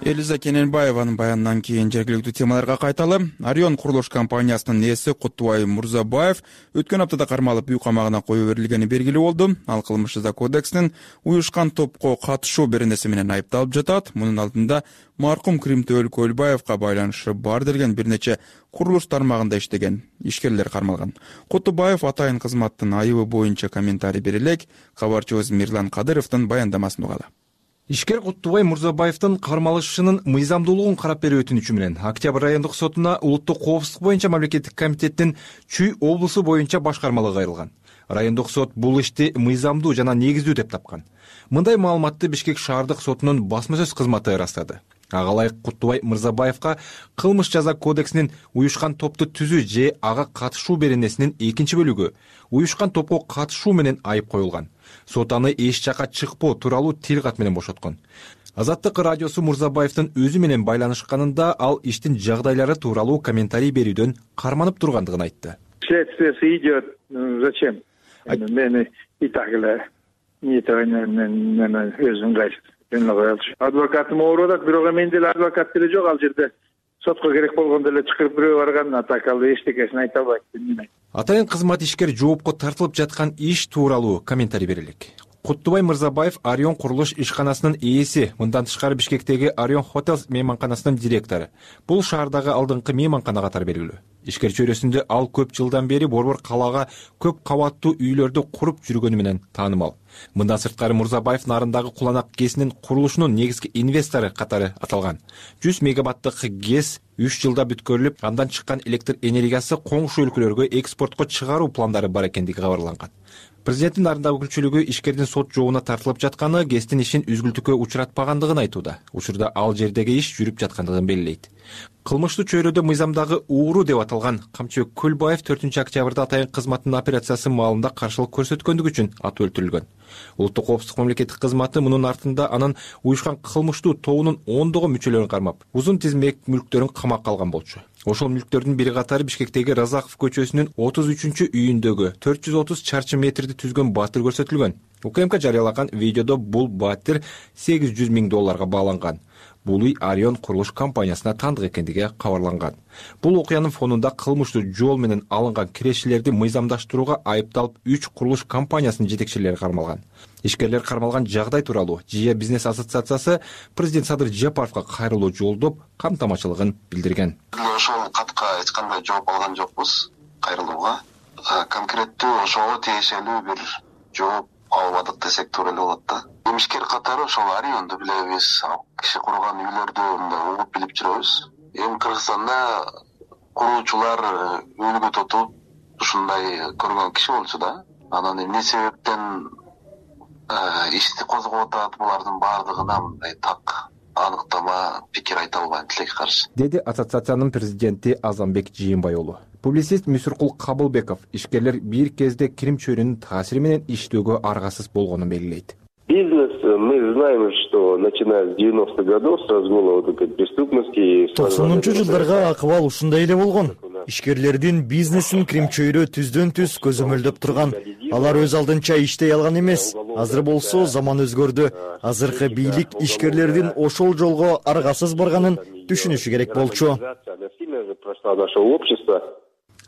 Элиза Кененбаеванын баянынан кийин жергиликтүү темаларга кайталы. Орион курулуш компаниясынын ээси Куттубай Мурзабаев өткөн аптада кармалып үй камагына коюу берилгени белгилүү болду. Ал кылмыш жаза кодексинин уюшкан топко катышуу беренеси менен айыпталып жатат. Мунун алдында маркум Кримтөөл Көлбаевка байланышы бар делген бир нече курулуш тармагында иштеген ишкерлер кармалган. Куттубаев атайын кызматтын айыбы боюнча комментарий бере элек. Кабарчыбыз Мирлан Кадыровдун баяндамасын угалы. Ишкер Куттубай Мурзабаевдин кармалышынын мыйзамдуулугун карап берүү өтүнүчү менен Октябрь райондук сотуна улуттук коопсуздук боюнча мамлекеттик комитеттин Чүй облусу боюнча башкармалыгы кайрылган. Райондук сот бул ишти мыйзамдуу жана негиздүү деп тапкан. Мындай маалыматты Бишкек шаардык сотунун басма сөз кызматы ырастады. Ага ылайык Куттубай Мырзабаевка кылмыш жаза кодексинин уюшкан топту түзүү же ага катышуу беренесинин экинчи бөлүгү уюшкан топко катышуу менен айып коюлган. Сот аны эч жака чыкпоо тууралуу тил кат менен бошоткон. Азаттык радиосу Мурзабаевдин өзү менен байланышканында ал иштин жагдайлары тууралуу комментарий берүүдөн карманып тургандыгын айтты. Следствие идет. Зачем? Мени и так эле мен өзүм кайсы. Адвокатым ооруп атат, бирок мен деле адвокат деле жок ал жерде. Сотко керек болгондо эле чыгып бирөө барган, а так ал эчтекесин айта албайт. Атайын кызмат ишкер жоопко тартылып жаткан иш тууралуу комментарий берелик. Куттубай Мырзабаев Орион курулуш ишканасынын ээси, мындан тышкары Бишкектеги Орион Hotels мейманканасынын директору. Бул шаардагы алдыңкы мейманкана катары белгилүү. Ишкер чөйрөсүндө ал көп жылдан бери Борбор калаага көп кабаттуу үйлөрдү куруп жүргөнү менен таанымал. Мындан сырткары Мурзабаев нарындагы Куланак ГЭСинин курулушунун негизги инвестору катары аталган. жүз мегаваттык ГЭС үч жылда бүткөрүлүп, андан чыккан электр энергиясы коңшу өлкөлөргө экспортко чыгаруу пландары бар экендиги кабарланган. Президенттин нарындагы өкүлчүлүгү ишкердин сот жообуна тартылып жатканы ГЭСтин ишин үзгүлтүккө учуратпагандыгын айтууда. Учурда ал жердеги иш жүрүп жаткандыгын белгилейт. Кылмыштуу чөйрөдө мыйзамдагы ууру деп аталган Камчыбек Көлбаев төртүнчү октябрда атайын кызматтын операциясы маалында каршылык көрсөткөндүгү үчүн атып өлтүрүлгөн. Улуттук коопсуздук мамлекеттик кызматы мунун артында анын уюшкан кылмыштуу тобунун ондогон мүчөлөрүн кармап, узун тизмек мүлктөрүн камакка алган болчу. Ошол мүлктөрдүн бири катары Бишкектеги Разаков көчөсүнүн отуз үчүнчү үйүндөгү төрт жүз отуз чарчы метрди түзгөн баатыр көрсөтүлгөн. УКМК жарыялаган видеодо бул баатыр сегиз жүз миң долларга бааланган. Бул үй Орион курулуш компаниясына таандык экендиги кабарланган. Бул окуянын фонунда кылмыштуу жол менен алынган кирешелерди мыйзамдаштырууга айыпталып үч курулуш компаниясынын жетекчилери кармалган. Ишкерлер кармалган жагдай тууралуу Жия бизнес ассоциациясы президент Садыр Жапаровго кайрылуу жолдоп камтамачылыгын билдирген. Ошол катка эч кандай жооп алган жокпуз кайрылууга. Конкреттүү ошого тиешелүү бир жооп албадык десек туура эле болот да. Ишкер катары ошол Орионду билебиз, киши курган үйлөрдү мындай угуп билип жүрөбүз. Эми Кыргызстанда куруучулар үлгү тотуп ушундай көргөн киши болчу да. Анан эмне себептен ишти козгоп атат, булардын баардыгына мындай так аныктама пикир айта албайм тилекке каршы, деди ассоциациянын президенти Азамбек Жыйынбай уулу. Публицист Мүсүркул Кабылбеков ишкерлер бир кезде кирим чөйрөнүн таасири менен иштөөгө аргасыз болгонун белгилейт. Бизнес, мы знаем, что начиная с девяностых годов, с разгула вот этой преступности... токсонунчу жылдарга акыбал ушундай эле болгон. Ишкерлердин бизнесин кирим чөйрө түздөн түз көзөмөлдөп турган. Алар өз алдынча иштей алган эмес. Азыр болсо заман өзгөрдү. Азыркы бийлик ишкерлердин ошол жолго аргасыз барганын түшүнүшү керек болчу.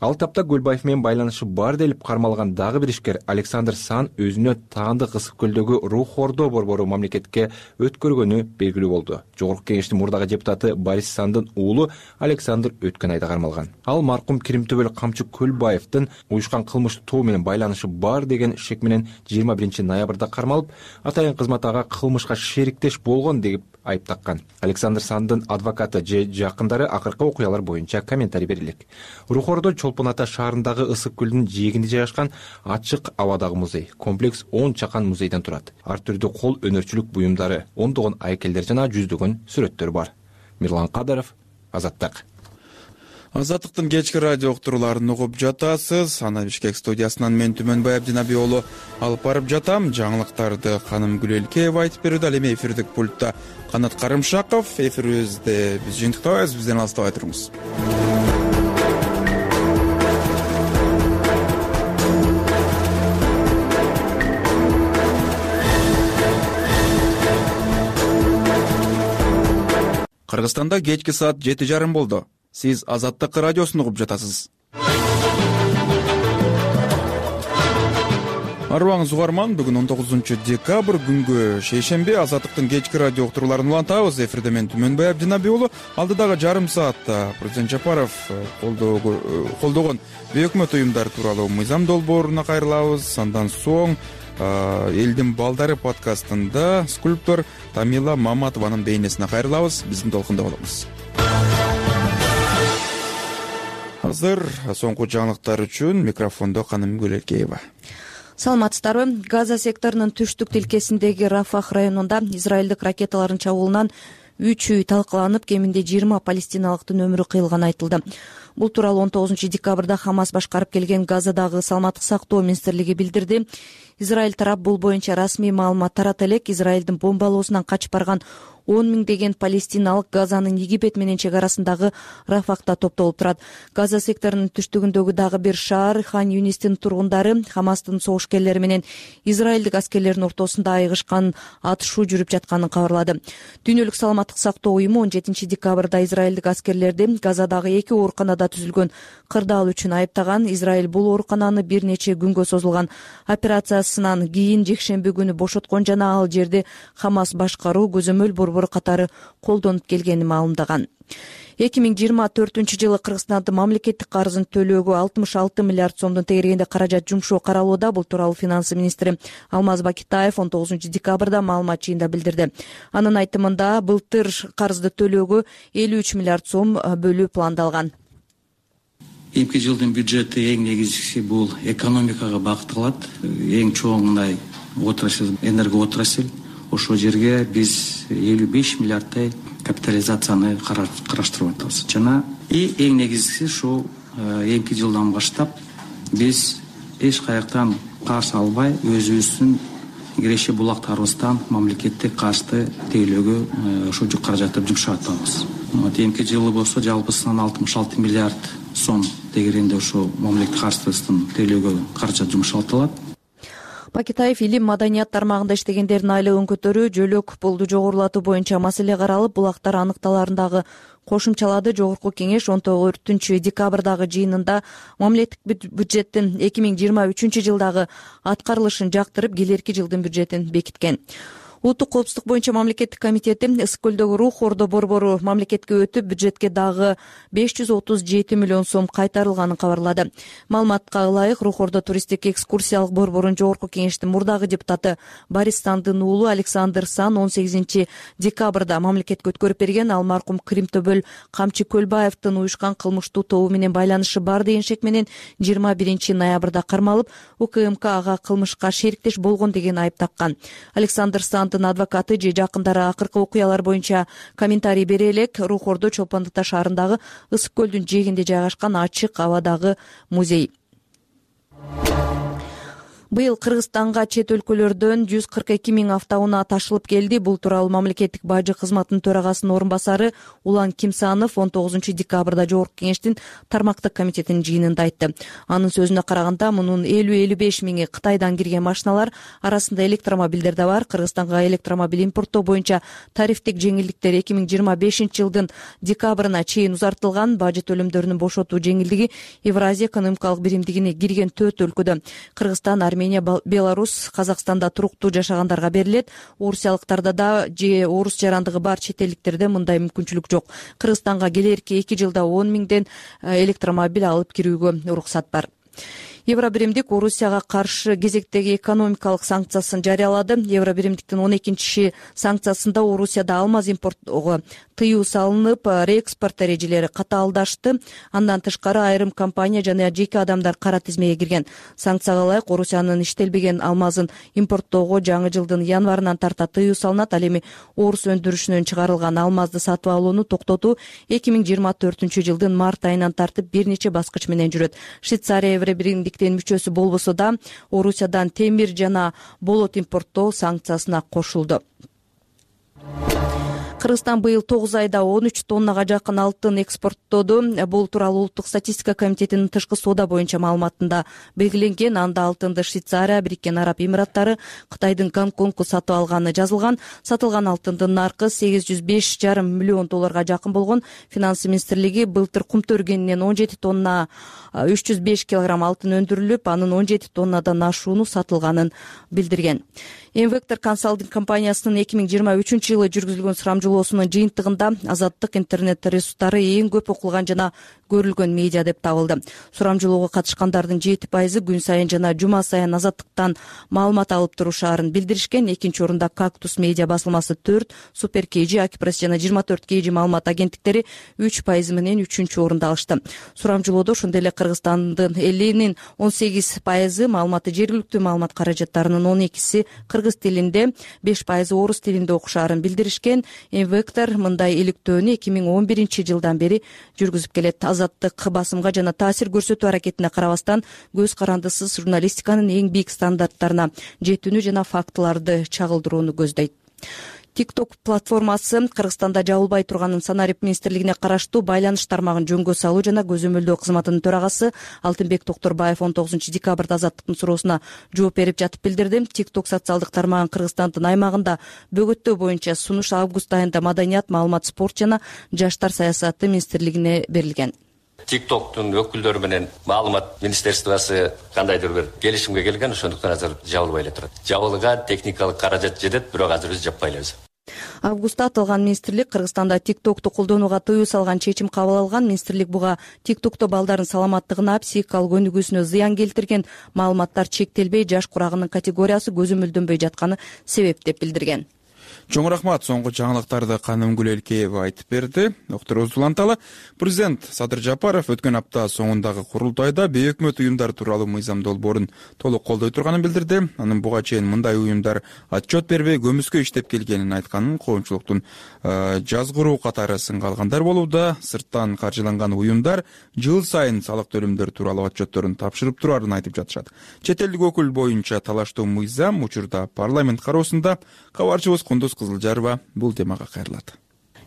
Ал тапта Көлбаев менен байланышы бар делип кармалган дагы бир ишкер Александр Сан өзүнө таандык Ысык көлдөгү Рухордо борбору мамлекетке өткөргөнү белгилүү болду. Жогорку кеңештин мурдагы депутаты Борис Сандын уулу Александр өткөн айда кармалган. Ал маркум Киримтөбөл Камчы Көлбаевдин уюшкан кылмыштуу тобу менен байланышы бар деген шек менен жыйырма биринчи ноябрда кармалып, атайын кызмат ага кылмышка шериктеш болгон деп айып таккан. Александр Сандын адвокаты же жакындары акыркы окуялар боюнча комментарий берилик. Рухордо Чолпон Ата шаарындагы Ысык көлдүнүн жээгинде жайгашкан ачык абадагы музей. Комплекс он чакан музейден турат. Ар түрдүү кол өнөрчүлүк буюмдары, ондогон айкелдер жана жүздөгөн сүрөттөр бар. Мирлан Кадыров, Азаттык. Азаттыктын кечки радио уктурууларын угуп жатасыз. Аны Бишкек студиясынан мен Түмөнбай Абдинаби уулу алып барып жатам. Жаңылыктарды Каным Гүлелкеева айтып берүүдө, ал эми эфирдик пультта Канат Карымшаков. Эфирибизде биз жыйынтыктабайбыз, бизден алыстабай туруңуз. Кыргызстанда кечки саат жети жарым болду. Сиз Азаттык радиосун угуп жатасыз. Арыбаңыз угарман, бүгүн он тогузунчу декабрь күнгө шейшемби Азаттыктын кечки радио уктурууларын улантабыз. Эфирде мен Түмөнбай Абдинаби уулу. Алдыдагы жарым саатта президент Жапаров колдогон бейөкмөт уюмдар тууралуу мыйзам долбооруна кайрылабыз. Андан соң Элдин балдары подкастында скульптор Тамила Маматованын бейнесине кайрылабыз. Биздин толкунда болобуз. Азыр соңку жаңылыктар үчүн микрофондо Каным Гүлелкеева. Саламатсыздарбы? Газа секторунун түштүк тилкесиндеги Рафах районунда израилдик ракеталардын чабуулунан үч үй талкаланып, кеминде жыйырма палестиналыктын өмүрү кыйылганы айтылды. Бул тууралуу он тогузунчу декабрда Хамас башкарып келген Газадагы саламаттык сактоо министрлиги билдирди. Израиль тарап бул боюнча расмий маалымат тарата элек. Израилдин бомбалоосунан качып барган он миңдеген палестиналык Газанын Египет менен чек арасындагы Рафахта топтолуп турат. Газа секторунун түштүгүндөгү дагы бир шаар Хан Юнистин тургундары Хамастын согушкерлери менен израилдик аскерлердин ортосунда айыгышкан атышуу жүрүп жатканын кабарлады. Дүйнөлүк саламаттык сактоо уюму он жетинчи декабрда израилдик аскерлерди Газадагы эки ооруканада түзүлгөн кырдаал үчүн айыптаган. Израиль бул оорукананы бир нече күнгө созулган операциясынан кийин жекшемби күнү бошоткон жана ал жерди Хамас башкаруу көзөмөл борбору катары колдонуп келгенин маалымдаган. эки миң жыйырма төртүнчү жылы Кыргызстандын мамлекеттик карызын төлөөгө алтымыш алты миллиард сомдун тегерегинде каражат жумшоо каралууда. Бул тууралуу финансы министри Алмаз Бакитаев он тогузунчу декабрда маалымат жыйында билдирди. Анын айтымында былтыр карызды төлөөгө элүү үч миллиард сом бөлүү пландалган. Эмки жылдын бюджети эң негизгиси бул экономикага багытталат. Эң чоң мындай отрасль энерго отрасль. Ошол жерге биз элүү беш миллиардтай капитализацияны караштырып атабыз. Жана и эң негизгиси ушул эмки жылдан баштап биз эч каяктан карыз албай өзүбүздүн киреше булактарыбыздан мамлекеттик карызды тейлөөгө ошол каражатты жумшап атабыз. Эмки жылы болсо жалпысынан алтымыш алты миллиард сом тегерегинде ошол мамлекеттик карыздын тейлөөгө каражат жумшалтылат. Бакитаев илим маданият тармагында иштегендердин айлыгын көтөрүү, жөлөк пулду жогорулатуу боюнча маселе каралып, булактар аныкталарындагы кошумчалады. Жогорку кеңеш он төртүнчү декабрдагы жыйынында мамлекеттик бюджеттин эки миң жыйырма үчүнчү жылдагы аткарылышын жактырып, келерки жылдын бюджетин бекиткен. Улуттук коопсуздук боюнча мамлекеттик комитети Ысык көлдөгү Рух Ордо борбору мамлекетке өтүп, бюджетке дагы беш жүз отуз жети миллион сом кайтарылганын кабарлады. Маалыматка ылайык, Рух Ордо туристтик экскурсиялык борборунун жогорку кеңештин мурдагы депутаты Борис Сандын уулу Александр Сан он сегизинчи декабрда мамлекетке өткөрүп берген. Ал маркум Кримтобөл Камчы Көлбаевдин уюшкан кылмыштуу тобу менен байланышы бар деген шек менен жыйырма биринчи ноябрда кармалып, УКМК ага кылмышка шериктеш болгон деген айып таккан. Александр Сан адвокаты же жакындары акыркы окуялар боюнча комментарий бере элек. Рух Ордо Чолпон Ата шаарындагы Ысык көлдүн жээгинде жайгашкан ачык абадагы музей. Быйыл Кыргызстанга чет өлкөлөрдөн жүз кырк эки миң автоунаа ташылып келди. Бул тууралуу мамлекеттик бажы кызматынын төрагасынын орун басары Улан Кимсанов он тогузунчу декабрда жогорку кеңештин тармактык комитетинин жыйынында айтты. Анын сөзүнө караганда, мунун элүү элүү беш миңи Кытайдан кирген машиналар, арасында электромобилдер да бар. Кыргызстанга электромобиль импорттоо боюнча тарифтик жеңилдиктер эки миң жыйырма бешинчи жылдын декабрына чейин узартылган. Бажы төлөмдөрүнүн бошотуу жеңилдиги Евразия экономикалык биримдигине кирген төрт өлкөдө Кыргызстан, Армения, Беларусь, Казакстанда туруктуу жашагандарга берилет. Орусиялыктарда да же орус жарандыгы бар чет элдиктерде мындай мүмкүнчүлүк жок. Кыргызстанга келерки эки жылда он миңден электромобиль алып кирүүгө уруксат бар. Евробиримдик Орусияга каршы кезектеги экономикалык санкциясын жарыялады. Евробиримдиктин он экинчи санкциясында Орусияда алмаз импорттоого тыюу салынып, реэкспорт эрежелери катаалдашты. Андан тышкары айрым компания жана жеке адамдар кара тизмеге кирген. Санкцияга ылайык Орусиянын иштелбеген алмазын импорттоого жаңы жылдын январынан тарта тыюу салынат. Ал эми орус өндүрүшүнөн чыгарылган алмазды сатып алууну токтотуу эки миң жыйырма төртүнчү жылдын март айынан тартып бир нече баскыч менен жүрөт. Швейцария Евробиримдиктин мүчөсү болбосо да Орусиядан темир жана болот импорттоо санкциясына кошулду. Кыргызстан быйыл тогуз айда он үч тоннага жакын алтын экспорттоду. Бул тууралуу Улуттук статистика комитетинин тышкы соода боюнча маалыматында белгиленген. Анда алтынды Швейцария, Бириккен Араб Эмираттары, Кытайдын Гонконгу сатып алганы жазылган. Сатылган алтындын наркы сегиз жүз беш жарым миллион долларга жакын болгон. Финансы министрлиги былтыр кумту өргенинен он жети тонна үч жүз беш килограмм алтын өндүрүлүп, анын он жети тоннадан ашууну сатылганын билдирген. Инвектор консалтинг компаниясынын эки миң жыйырма үчүнчү жылы жүргүзүлгөн сурамжылоосунун жыйынтыгында Азаттык интернет ресурстары эң көп окулган жана көрүлгөн медиа деп табылды. Сурамжылоого катышкандардын жети пайызы күн сайын жана жума сайын Азаттыктан маалымат алып турушаарын билдиришкен. Экинчи орунда Кактус медиа басылмасы төрт, Супер Кейжи, Акипресс жана жыйырма төрт Кейжи маалымат агенттиктери үч пайыз менен үчүнчү орунда алышты. Сурамжылоодо ошондой эле Кыргызстандын элинин он сегиз пайызы маалыматы жергиликтүү маалымат каражаттарынын он экиси кыргыз тилинде, беш пайызы орус тилинде окушаарын билдиришкен. Инвектор мындай иликтөөнү эки миң он биринчи жылдан бери жүргүзүп келет. Азаттык басымга жана таасир көрсөтүү аракетине карабастан көз карандысыз журналистиканын эң бийик стандарттарына жетүүнү жана фактыларды чагылдырууну көздөйт. TikTok платформасы Кыргызстанда жабылбай турганын Санарип министрлигине караштуу байланыш тармагын жөнгө салуу жана көзөмөлдөө кызматынын төрагасы Алтынбек Токторбаев он тогузунчу декабрда Азаттыктын суроосуна жооп берип жатып билдирди. TikTok социалдык тармагын Кыргызстандын аймагында бөгөттөө боюнча сунуш август айында Маданият, маалымат, спорт жана жаштар саясаты министрлигине берилген. TikToктун өкүлдөрү менен маалымат министерствосы кандайдыр бир келишимге келген, ошондуктан азыр жабылбай эле турат. Жабылган техникалык каражат жетет, бирок азыр биз жаппай элебиз. Августта аталган министрлик Кыргызстанда TikToкту колдонууга тыюу салган чечим кабыл алган. Министрлик буга TikTokто балдардын саламаттыгына, психикалык өнүгүүсүнө зыян келтирген маалыматтар чектелбей, жаш курагынын категориясы көзөмөлдөнбөй жатканы себеп деп билдирген. Чоң рахмат. Соңку жаңылыктарды Канымгүл Элкеева айтып берди. Доктор уланталы. Президент Садыр Жапаров өткөн апта соңундагы курултайда бейөкмөт уюмдар тууралуу мыйзам долбоорун толук колдой турганын билдирди. Анын буга чейин мындай уюмдар отчет бербей көмүскө иштеп келгенин айтканын, коомчулуктун жазгыруу катары сынга алгандар болууда. Сырттан каржыланган уюмдар жыл сайын салык төлөмдөр тууралуу отчетторун тапшырып турарын айтып жатышат. Чет элдик өкүл боюнча талаштуу мыйзам учурда парламент кароосунда. Кабарчыбыз Кундуз Кызылжарова бул темага кайрылат.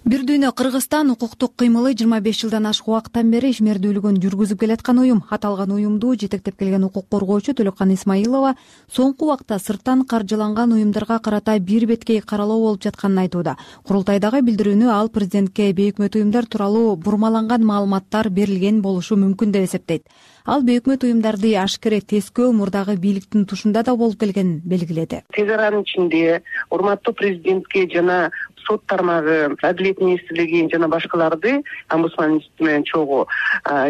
Бир дүйнө Кыргызстан укуктук кыймылы жыйырма беш жылдан ашык убакыттан бери ишмердүүлүгүн жүргүзүп келаткан уюм. Аталган уюмду жетектеп келген укук коргоочу Төлөккан Исмаилова соңку убакта сырттан каржыланган уюмдарга карата бир беткей каралоо болуп жатканын айтууда. Курултайдагы билдирүүнү ал президентке бейөкмөт уюмдар тууралуу бурмаланган маалыматтар берилген болушу мүмкүн деп эсептейт. Ал бейөкмөт уюмдарды ашкере тескөө мурдагы бийликтин тушунда да болуп келгенин белгиледи. Тез аранын ичинде урматтуу президентке жана сот тармагы, Адилет министрлиги жана башкаларды омбудсман менен чогуу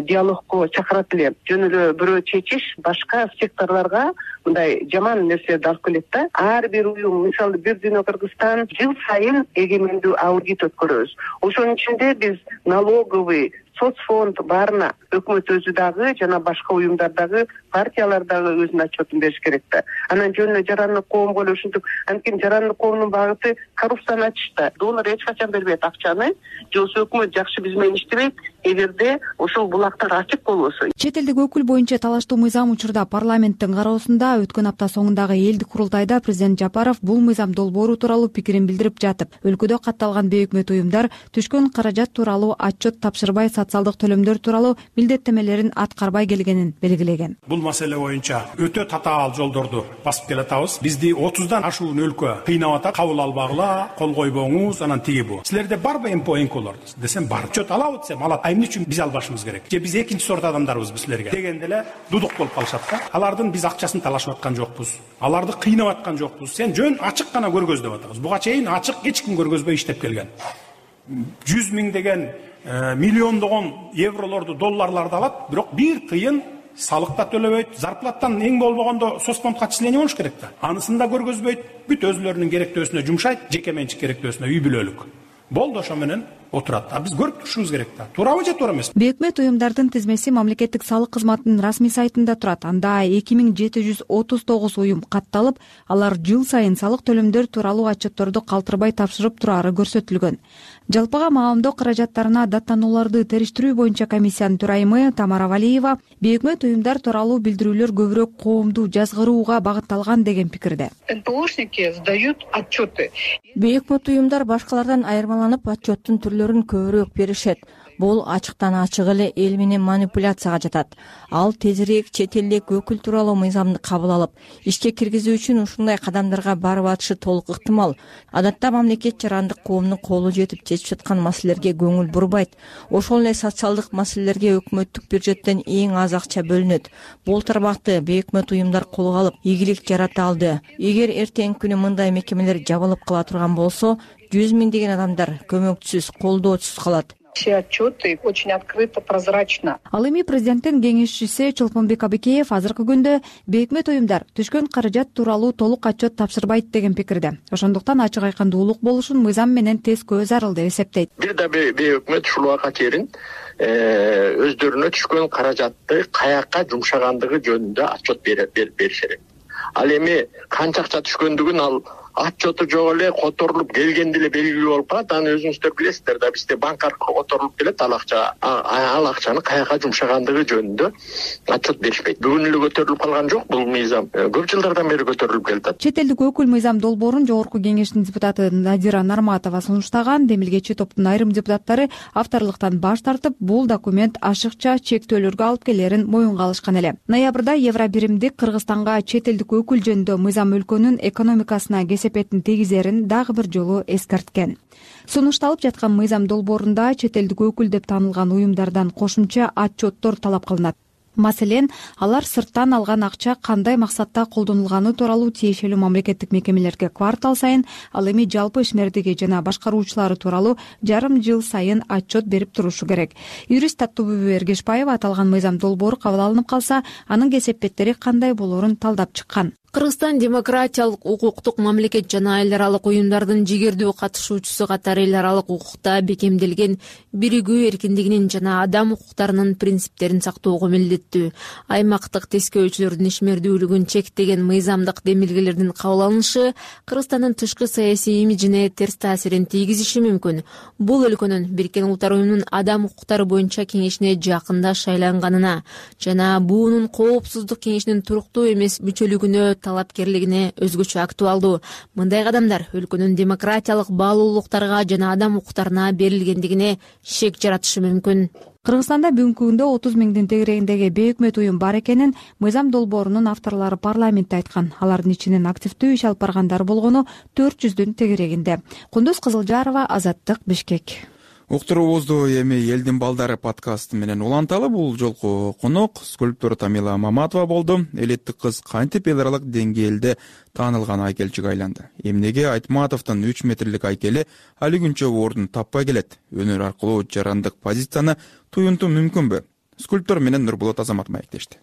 диалогко чакырат эле. Жөн эле бирөө чечиш башка секторлорго мындай жаман нерселерди алып келет да. Ар бир уюм, мисалы бир дүйнө Кыргызстан жыл сайын эгемендүү аудит өткөрөбүз. Ошонун ичинде биз налоговый, соцфонд баарына өкмөт өзү дагы жана башка уюмдар дагы, партиялар дагы өзүнүн отчетун бериш керек да. Анан жөн эле жарандык коомго эле ушинтип, анткени жарандык коомдун багыты коррупцияны ачышта. Донор эч качан бербейт акчаны, же өкмөт жакшы биз менен иштебейт. Эгерде ошол булактар ачык болбосо. Чет элдик өкүл боюнча талаштуу мыйзам учурда парламенттин кароосунда. Өткөн апта соңундагы элдик курултайда президент Жапаров бул мыйзам долбоору тууралуу пикирин билдирип жатып, өлкөдө катталган бейөкмөт уюмдар түшкөн каражат тууралуу отчет тапшырбай, социалдык төлөмдөр тууралуу милдеттемелерин аткарбай келгенин белгилеген. Бул маселе боюнча өтө татаал жолдорду басып келатабыз. Бизди отуздан ашуун өлкө кыйнап атат. Кабыл албагыла, кол койбоңуз, анан тиги бу. Силерде барбы эмпо энколор десем бар. Отчет алабы десем алат. Эмне үчүн биз албашыбыз керек? Же биз экинчи сорт адамдарбызбы силерге? Дегенде эле дудук болуп калышат да. Алардын биз акчасын талашып аткан жокпуз. Аларды кыйнап аткан жокпуз. Сен жөн ачык гана көргөздөп атабыз. Буга чейин ачык эч ким көргөзбөй иштеп келген. жүз миң деген миллиондогон евролорду, долларларды алат, бирок бир тыйын салык да төлөбөйт, зарплатадан эң болбогондо соцфондко отчисление болуш керек да. Анысын да көргөзбөйт, бүт өзүлөрүнүн керектөөсүнө жумшайт, жеке менчик керектөөсүнө үй бүлөлүк. Болду, ошо менен отурат. А биз көрүп турушубуз керек да. Туурабы же туура эмеспи? Бейөкмөт уюмдардын тизмеси мамлекеттик салык кызматынын расмий сайтында турат. Анда эки миң жети жүз отуз тогуз уюм катталып, алар жыл сайын салык төлөмдөр тууралуу отчетторду калтырбай тапшырып турары көрсөтүлгөн. Жалпыга маалымдоо каражаттарына даттанууларды териштирүү боюнча комиссиянын төрайымы Тамара Валиева бейөкмөт уюмдар тууралуу билдирүүлөр көбүрөөк коомду жазгырууга багытталган деген пикирде. эн пэ ошники сдают отчеты. Бейөкмөт уюмдар башкалардан айырмаланып отчеттун түрлөрүн көбүрөөк беришет. Бул ачыктан ачык эле эл менен манипуляцияга жатат. Ал тезирээк чет элдик өкүл тууралуу мыйзамды кабыл алып, ишке киргизүү үчүн ушундай кадамдарга барып атышы толук ыктымал. Адатта мамлекет жарандык коомдун колу жетип чечип жаткан маселелерге көңүл бурбайт. Ошол эле социалдык маселелерге өкмөттүк бюджеттен эң аз акча бөлүнөт. Бул тармакты бейөкмөт уюмдар колго алып, ийгилик жарата алды. Эгер эртеңки күнү мындай мекемелер жабылып кала турган болсо, жүз миңдеген адамдар көмөкчүсүз, колдоочусуз калат. Все отчеты очень открыто, прозрачно. Ал эми президенттин кеңешчиси Чолпонбек Абекеев азыркы күндө бейөкмөт уюмдар түшкөн каражат тууралуу толук отчет тапшырбайт деген пикирде. Ошондуктан ачык айкындуулук болушун мыйзам менен тескөө зарыл деп эсептейт. Бир да бейөкмөт ушул убакка чейин өздөрүнө түшкөн каражатты каяка жумшагандыгы жөнүндө отчет бериш керек. Ал эми канча акча түшкөндүгүн ал отчету жок эле которулуп келгенде эле белгилүү болуп калат. Аны өзүңүздөр билесиздер да, бизде банк аркылуу которулуп келет, ал акча ал акчаны каяка жумшагандыгы жөнүндө отчет беришпейт. Бүгүн эле көтөрүлүп калган жок бул мыйзам. Көп жылдардан бери көтөрүлүп келатат. Чет элдик өкүл мыйзам долбоорун жогорку кеңештин депутаты Надира Нарматова сунуштаган. Демилгечи топтун айрым депутаттары авторлуктан баш тартып, бул документ ашыкча чектөөлөргө алып келерин моюнга алышкан эле. Ноябрда Евробиримдик Кыргызстанга чет элдик өкүл жөнүндө мыйзам өлкөнүн экономикасына кесепетин тийгизерин дагы бир жолу эскерткен. Сунушталып жаткан мыйзам долбоорунда чет элдик өкүл деп таанылган уюмдардан кошумча отчеттор талап кылынат. Маселен, алар сырттан алган акча кандай максатта колдонулганы тууралуу тиешелүү мамлекеттик мекемелерге квартал сайын, ал эми жалпы ишмердиги жана башкаруучулары тууралуу жарым жыл сайын отчет берип турушу керек. Юрист Таттыбүбү Эргешбаева аталган мыйзам долбоору кабыл алынып калса, анын кесепеттери кандай болоорун талдап чыккан. Кыргызстан демократиялык, укуктук мамлекет жана эл аралык уюмдардын жигердүү катышуучусу катары эл аралык укукта бекемделген биригүү эркиндигинин жана адам укуктарынын принциптерин сактоого милдеттүү. Аймактык тескөөчүлөрдүн ишмердүүлүгүн чектеген мыйзамдык демилгелердин кабыл алынышы Кыргызстандын тышкы саясий имиджине терс таасирин тийгизиши мүмкүн. Бул өлкөнүн Бириккен Улуттар уюмунун адам укуктары боюнча кеңешине жакында шайланганына жана буунун коопсуздук кеңешинин туруктуу эмес мүчөлүгүнө талапкерлигине өзгөчө актуалдуу. Мындай кадамдар өлкөнүн демократиялык баалуулуктарга жана адам укуктарына берилгендигине шек жаратышы мүмкүн. Кыргызстанда бүгүнкү күндө отуз миңдин тегерегиндеги бейөкмөт уюм бар экенин мыйзам долбоорунун авторлору парламентте айткан. Алардын ичинен активдүү иш алып баргандар болгону төрт жүздүн тегерегинде. Кундуз Кызылжарова, Азаттык, Бишкек. Уктуруубузду эми элдин балдары подкасты менен уланталы. Бул жолку конок скульптор Тамила Маматова болду. Элеттик кыз кантип эл аралык деңгээлде таанылган айкелчиге айланды. Эмнеге Айтматовдун үч метрлик айкели али күнчө ордун таппай келет? Өнөр аркылуу жарандык позицияны туюнтуу мүмкүнбү? Скульптор менен Нурболот Азамат маектешти.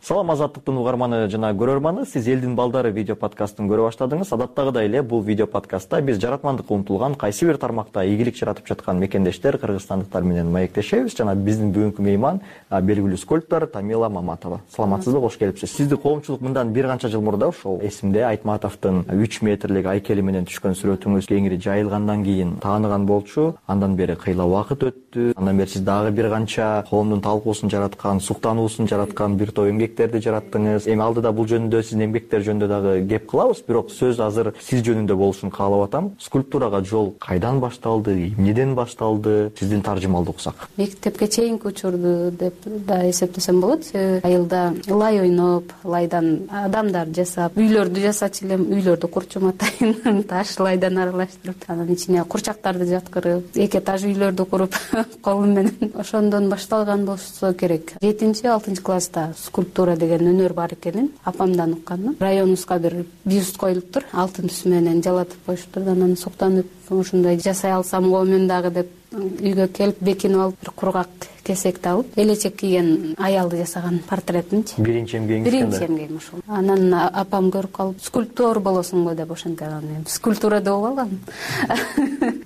Салам Азаттыктын угарманы жана көрөрманы, сиз элдин балдары видео подкастын көрө баштадыңыз. Адаттагыдай эле бул видео подкастта биз жаратмандыкка умтулган кайсы бир тармакта ийгилик жаратып жаткан мекендештер, кыргызстандыктар менен маектешебиз. Жана биздин бүгүнкү мейман белгилүү скульптор Тамила Маматова. Саламатсызбы, кош келипсиз. Сизди коомчулук мындан бир канча жыл мурда ошол эсимде Айтматовдун үч метрлик айкели менен түшкөн сүрөтүңүз кеңири жайылгандан кийин тааныган болчу. Андан бери кыйла убакыт өттү. Андан бери сиз дагы бир канча коомдун талкуусун жараткан, суктануусун жараткан бир топ эмгек жараттыңыз. Эми алдыда бул жөнүндө сиздин эмгектер жөнүндө дагы кеп кылабыз, бирок сөз азыр сиз жөнүндө болушун каалап атам. Скульптурага жол кайдан башталды, эмнеден башталды? Сиздин таржымалды уксак. Мектепке чейинки учурду деп да эсептесем болот. Айылда лай ойноп, лайдан адамдар жасап, үйлөрдү жасачу элем, үйлөрдү курчум атайын, таш лайдан аралаштырып, анын ичине курчактарды жаткырып, эки этаж үйлөрдү куруп колум менен ошондон башталган болсо керек. жетинчи алтынчы класста скульптура скульптура деген өнөр бар экенин апамдан укканмын. Районубузга бир бюст коюлуптур, алтын түсү менен жалатып коюшуптур. Анан суктанып ушундай жасай алсам го мен дагы деп үйгө келип бекинип алып, бир кургак кесекти алып, элечек кийген аялды жасаган портретинчи. Биринчи эмгегиңиз Биринчи эмгегим ушул. Анан апам көрүп калып, скульптор болосуңбу деп ошентип анан скульптура деп алгам.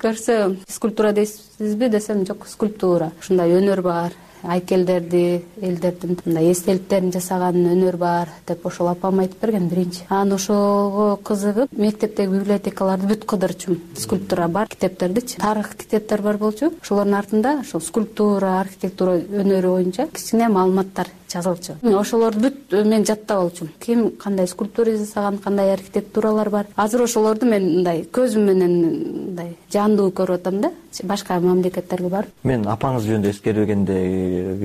Көрсө, скульптура дейсизби десем, жок, скульптура. Ушундай өнөр бар. Айкелдерди, элдердин мындай эстеликтерин жасаган өнөр бар деп ошол апам айтып берген биринчи. Анан ошого кызыгып, мектептеги библиотекаларды бүт кыдырчумун. Скульптура бар китептердичи. Тарых китептер бар болчу. Ошолордун артында ошол скульптура, архитектура өнөрү боюнча кичине маалыматтар жазылчу. Ошолорду бүт мен жаттап алчумун. Ким кандай скульптура жасаган, кандай архитектуралар бар. Азыр ошолорду мен мындай көзүм менен мындай жандуу көрүп атам да. Башка мамлекеттерге барып. Мен апаңыз жөнүндө эскергенде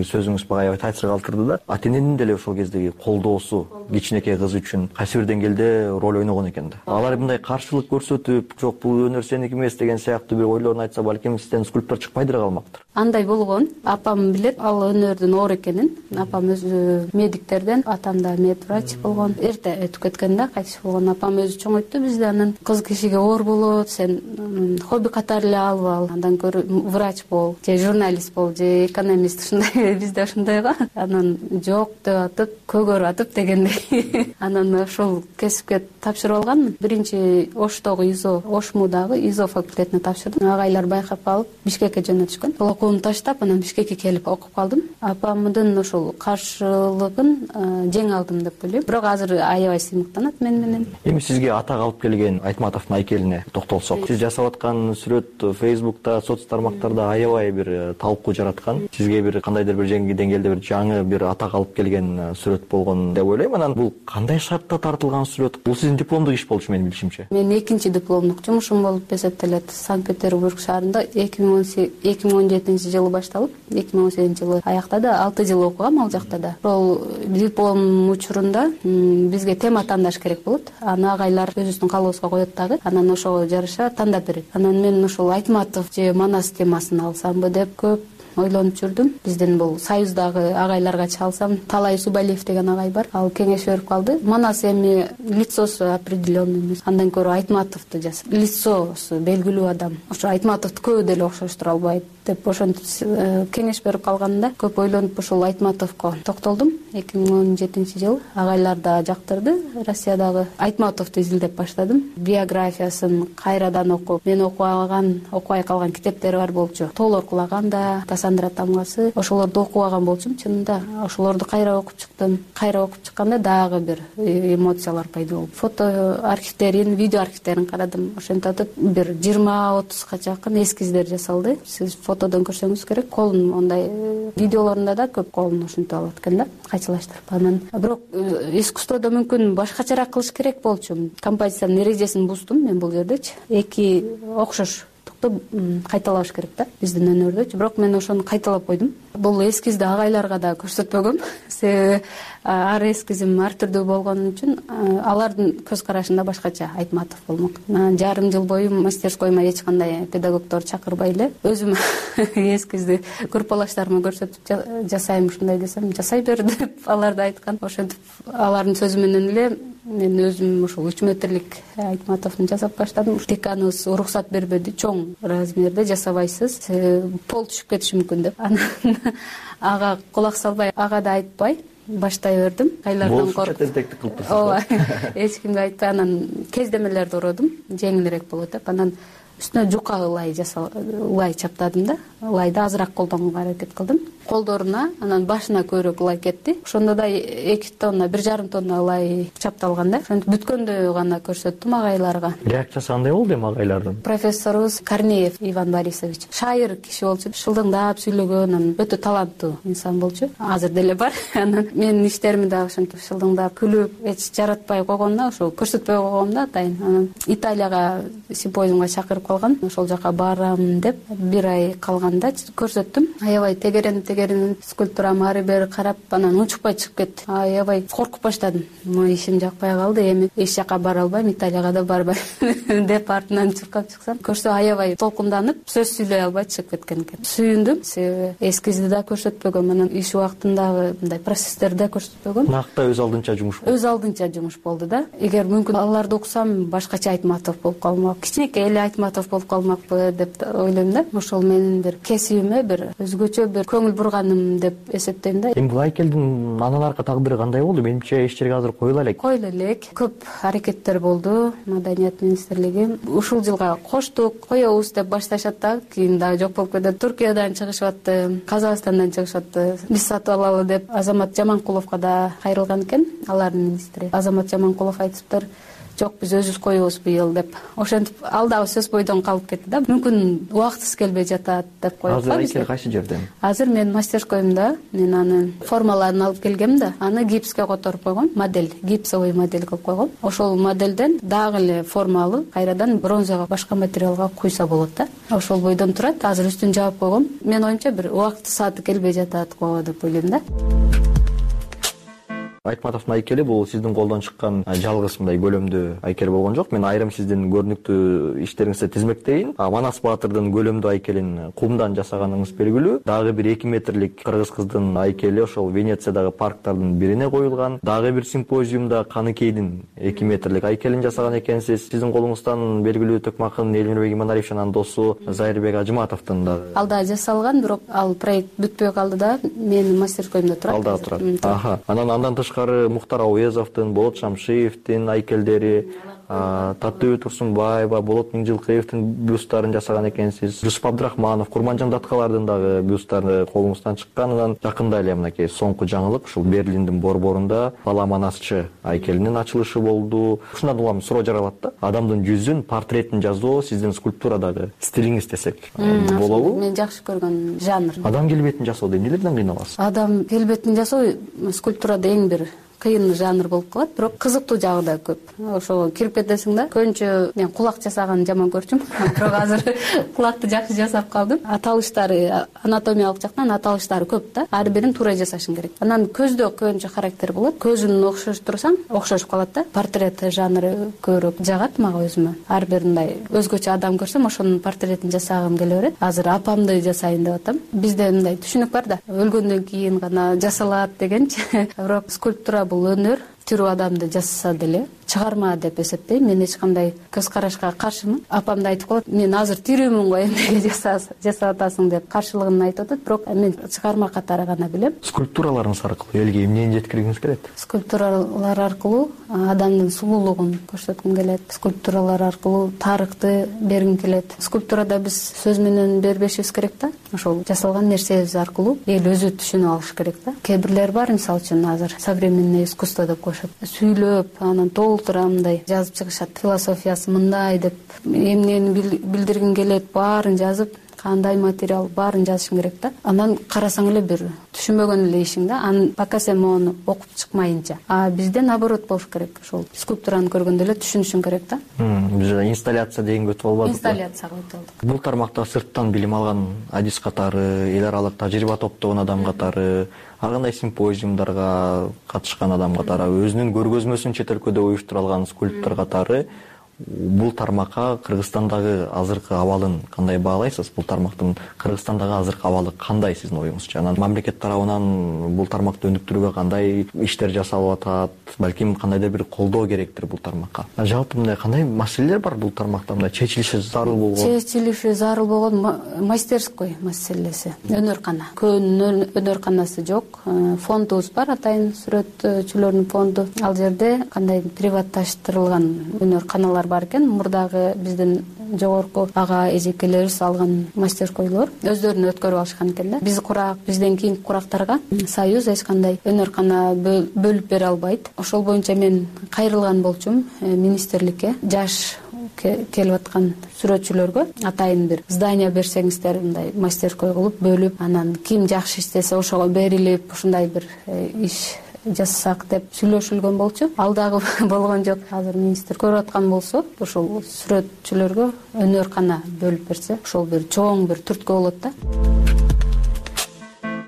сөзүңүз бага аябай таасир калтырды да. Ата эненин деле ошол кездеги колдоосу кичинекей кыз үчүн кайсы бир деңгээлде роль ойногон экен да. Алар мындай каршылык көрсөтүп, жок бул өнөр сеники эмес деген сыяктуу бир ойлорун айтса, балким сизден скульптор чыкпайдыр калмактыр. Андай болгон. Апам билет ал өнөрдүн оор экенин. Апам өзү медиктерден, атам да медврач болгон. Эрте өтүп кеткен да, кайтыш болгон. Апам өзү чоңойтты бизди. Анан кыз кишиге оор болот, сен хобби катары эле алып ал. Андан көрө врач бол, же журналист бол, же экономист, ушундай бизде ушундай го. Анан жок деп атып, көгөрүп атып дегендей. Анан ошол кесипке тапшырып алганмын. Биринчи Оштогу ИЗО, Ошмудагы ИЗО факультетине тапшырдым. Агайлар байкап калып, Бишкекке жөнөтүшкөн. Сол окууну таштап, анан Бишкекке келип окуп калдым. Апамдын ошол каршылыгын жеңе алдым деп ойлойм. Бирок азыр аябай сыймыктанат мен менен. Эми сизге атак алып келген Айтматовдун айкелине токтолсок. Сиз жасап аткан сүрөт Facebook'та, соц тармактарда аябай бир талкуу жараткан. Сизге бир кандайдыр бир жеңги деңгээлде бир жаңы бир атак алып келген сүрөт болгон деп ойлойм. Анан бул кандай шартта тартылган сүрөт? Бул сиздин дипломдук иш болчу менин билишимче. Мен экинчи дипломдук жумушум болуп эсептелет. Санкт-Петербург шаарында эки миң он жетинчи жылы башталып, эки миң он сегизинчи жылы аяктады. алты жыл окугам ал жакта да. Ошол диплом учурунда бизге тема тандаш керек болот. Аны агайлар өзүбүздүн калыбыбызга коет дагы. Анан ошого жараша тандап берет. Анан мен ошол Айтматов же Манас темасын алсамбы деп көп ойлонуп жүрдүм. Биздин бул союздагы агайларга чалсам, Талай Субалиев деген агай бар. Ал кеңеш берип калды. Манас эми лицосу определенный эмес. Андан көрө Айтматовду жасап, лицосу белгилүү адам. Ошо Айтматовду көбү деле окшоштура албайт деп ошентип кеңеш берип калганда көп ойлонуп ошол Айтматовго токтолдум. эки миң он жетинчи жыл агайлар да жактырды. Россиядагы Айтматовду изилдеп баштадым. Биографиясын кайрадан окуп, мен окубаган, окубай калган китептери бар болчу. Тоолор кулаганда, Сандра Тамгасы, ошолорду окубаган болчумун. Чынында ошолорду кайра окуп чыктым. Кайра окуп чыкканда дагы бир эмоциялар пайда болду. Фото архивтерин, видео архивтерин карадым. Ошентип бир жыйырма отузга жакын эскиздер жасалды. Сиз фотодон көрсөңүз керек. Колун ондай видеолорунда да көп колун ошентип алат экен да, кайчылаштырып. Анан бирок искусстводо мүмкүн башкачараак кылыш керек болчу. Композициянын эрежесин буздум мен бул жердечи. Эки окшош кайталаш керек да биздин өнөрдө. Бирок мен ошону кайталап койдум. Бул эскизди агайларга да көрсөтпөгөм. Себеби ар эскизим ар түрдүү болгон үчүн алардын көз карашында башкача Айтматов болмок. Жарым жыл бою мастерскойма эч кандай педагогдор чакырбай эле өзүм эскизди группалаштарыма көрсөтүп жасайм ушундай десем, жасай бер деп алар да айткан. Ошентип алардын сөзү менен эле мен өзүм ошол үч метрлик Айтматовду жасап баштадым. Деканыбыз уруксат бербеди, чоң размерде жасабайсыз, пол түшүп кетиши мүмкүн деп. Анан ага кулак салбай, ага да айтпай баштай бердим. Айлардан коркуп тентектик кылып турсуз. Ооба, эч кимге айтпай анан кездемелерди уродум, жеңилирээк болот деп. Анан үстүнө жука ылай жасал, ылай чаптадым да. Ылайды азыраак колдонууга аракет кылдым. Колдоруна, анан башына көбүрөөк ылай кетти. Ошондо да эки тонна, бир жарым тонна ылай чапталган да. Ошентип бүткөндө гана көрсөттүм агайларга. Реакциясы кандай болду эми агайлардын? Профессорубуз Корнеев Иван Борисович шайыр киши болчу, шылдыңдап сүйлөгөн, анан өтө таланттуу инсан болчу. Азыр деле бар. Анан менин иштерими да ошентип шылдыңдап күлүп, эч жаратпай койгондо, ошо көрсөтпөй койгондо атайын. Анан Италияга симпозиумга чакырып калган. Ошол жака барам деп бир ай калган баштаганда көрсөттүм. Аябай тегеренип тегеренип скульптурамы ары бери карап анан унчукпай чыгып кетти. Аябай коркуп баштадым. Могу ишим жакпай калды, эми эч жака бара албайм, Италияга да барбайм деп артынан чуркап чыксам, көрсө аябай толкунданып, сөз сүйлөй албай чыгып кеткен экен. Сүйүндүм, себеби эскизди да көрсөтпөгөм, анан иш убактындагы мындай процесстерди да көрсөтпөгөм. Накта өз алдынча жумуш болду. Өз алдынча жумуш болду да. Эгер мүмкүн аларды окусам, башкача Айтматов болуп калмак, кичинекей эле Айтматов болуп калмакпы деп ойлойм да. Ошол менин бир кесибиме бир өзгөчө бир көңүл бурганым деп эсептейм да. Эми бул айкелдин андан аркы тагдыры кандай болду? Менимче иш жерге азыр коюла элек. Коюла элек. Көп аракеттер болду. Маданият министрлиги ушул жылга коштук, коебуз деп башташат да, кийин дагы жок болуп кетет. Түркиядан чыгышып атты, Казакстандан чыгышып атты. Биз сатып алалы деп Азамат Жаманкуловго да кайрылган экен, алардын министри. Азамат Жаманкулов айтыптыр, жок биз өзүбүз коебуз быйыл деп. Ошентип ал дагы сөз бойдон калып кетти да. Мүмкүн убактысы келбей жатат деп коюп атты. Азыр айкел кайсы жерде? Азыр мен мастерскойумда, мен анын формаларын алып келгем да, аны гипске которуп койгом, модель, гипсовый модель кылып койгом. Ошол моделден дагы эле форма алып, кайрадан бронзага, башка материалга куйса болот да. Ошол бойдон турат. Азыр үстүн жаап койгом. Мен оюмча бир убакыты сааты келбей жатат го деп ойлойм да. Айтматовдун айкели бул сиздин колдон чыккан жалгыз мындай көлөмдүү айкел болгон жок. Мен айрым сиздин көрүнүктүү иштериңизди тизмектейин. Манас Баатырдын көлөмдүү айкелин кумдан жасаганыңыз белгилүү. Дагы бир эки метрлик кыргыз кыздын айкели ошол Венециядагы парктардын бирине коюлган. Дагы бир симпозиумда Каныкейдин эки метрлик айкелин жасаган экенсиз. Сиздин колуңуздан белгилүү төкмакын Элмирбек Иманалиевич анан досу Зайырбек Ажыматовдун дагы. Ал да жасалган, бирок ал проект бүтпөй калды да, менин мастерскойумда турат. Ал да турат. Аха. Анан андан Мухтар Ауезовдун, Болот Шамшиевдин айкелдери, Татыбү Турсунбаева, Болот Миңжилкыевдин бюсттарын жасаган экенсиз. Жусуп Абдрахманов, Курманжан Даткалардын дагы бюсттары колуңуздан чыккан. Анан жакында эле мынакей соңку жаңылык ушул Берлиндин борборунда Бала Манасчы айкелинин ачылышы болду. Ушундан улам суроо жаралат да. Адамдын жүзүн, портретин жасоо сиздин скульптурадагы стилиңиз десек болобу? Мен жакшы көргөн жанр. Адам келбетин жасоодо эмнелерден кыйналасыз? Адам келбетин жасоо скульптурада эң бир кыйын жанр болуп калат, бирок кызыктуу жагы да көп. Ошого кирип кетесиң да. Көбүнчө мен кулак жасаганды жаман көрчүм, бирок азыр кулакты жакшы жасап калдым. Аталыштары, анатомиялык жактан аталыштары көп да. Ар бирин туура жасашың керек. Анан көздө көбүнчө характер болот. Көзүн окшоштурсаң, окшошуп калат да. Портрет жанры көбүрөөк жагат мага өзүмө. Ар бир мындай өзгөчө адам көрсөм, ошонун портретин жасагым келе берет. Азыр апамды жасайын деп атам. Бизде мындай түшүнүк бар да. Өлгөндөн кийин гана жасалат дегенчи. Бирок скульптура бул өнөр, тирүү адамды жасаса деле чыгарма деп эсептейм. Мен эч кандай көз карашка каршымын. Апам да айтып коет, мен азыр тирүүмүн го, эмнеге жасап атасың деп каршылыгын айтып атат, бирок мен чыгарма катары гана билем. Скульптураларыңыз аркылуу элге эмнени жеткиргиңиз келет? Скульптуралар аркылуу адамдын сулуулугун көрсөткүм келет. Скульптуралар аркылуу тарыхты бергим келет. Скульптурада биз сөз менен бербешибиз керек да. Ошол жасалган нерсебиз аркылуу эл өзү түшүнүп алыш керек да. Кээ бирлер бар, мисалы үчүн азыр современный искусство деп коюшат. Сүйлөп, анан толтурамдай жазып чыгышат. Философиясы мындай деп, эмнени билдиргин келет, баарын жазып, кандай материал баарын жазышың керек да. Анан карасаң эле бир түшүнбөгөн эле ишиң да. Анан пока сен мону окуп чыкмайынча. А бизде наоборот болуш керек. Ошол скульптураны көргөндө эле түшүнүшүң керек да. Биз инсталляция дегенге өтүп албадык. Инсталляцияга өтүп алдык. Бул тармакта сырттан билим алган адис катары, эл аралык тажрыйба топтогон адам катары, ар кандай симпозиумдарга катышкан адам катары, өзүнүн көргөзмөсүн чет өлкөдө уюштура алган скульптор катары бул тармакка Кыргызстандагы азыркы абалын кандай баалайсыз? Бул тармактын Кыргызстандагы азыркы абалы кандай сиздин оюңузча? Анан мамлекет тарабынан бул тармакты өнүктүрүүгө кандай иштер жасалып атат? Балким кандайдыр бир колдоо керектир бул тармакка. Жалпы мындай кандай маселелер бар бул тармакта, мындай чечилиши зарыл болгон? Чечилиши зарыл болгон мастерской маселеси. Өнөркана. Көн өнөрканасы жок. Фондубуз бар, атайын сүрөтчүлөрдүн фонду. Ал жерде кандай приватташтырылган өнөрканалар бар экен. Мурдагы биздин жогорку ага эжекелерибиз алган мастерскойлор өздөрүнө өткөрүп алышкан экен да. Биз курак, бизден кийинки курактарга союз эч кандай өнөркана бөлүп бере албайт. Ошол боюнча мен кайрылган болчумун министрликке. Жаш келип аткан сүрөтчүлөргө атайын бир здание берсеңиздер, мындай мастерской кылып бөлүп, анан ким жакшы иштесе ошого берилип, ушундай бир иш жасасак деп сүйлөшүлгөн болчу. Ал дагы болгон жок. Азыр министр көрүп аткан болсо, ушул сүрөтчүлөргө өнөркана бөлүп берсе, ошол бир чоң бир түрткү болот да.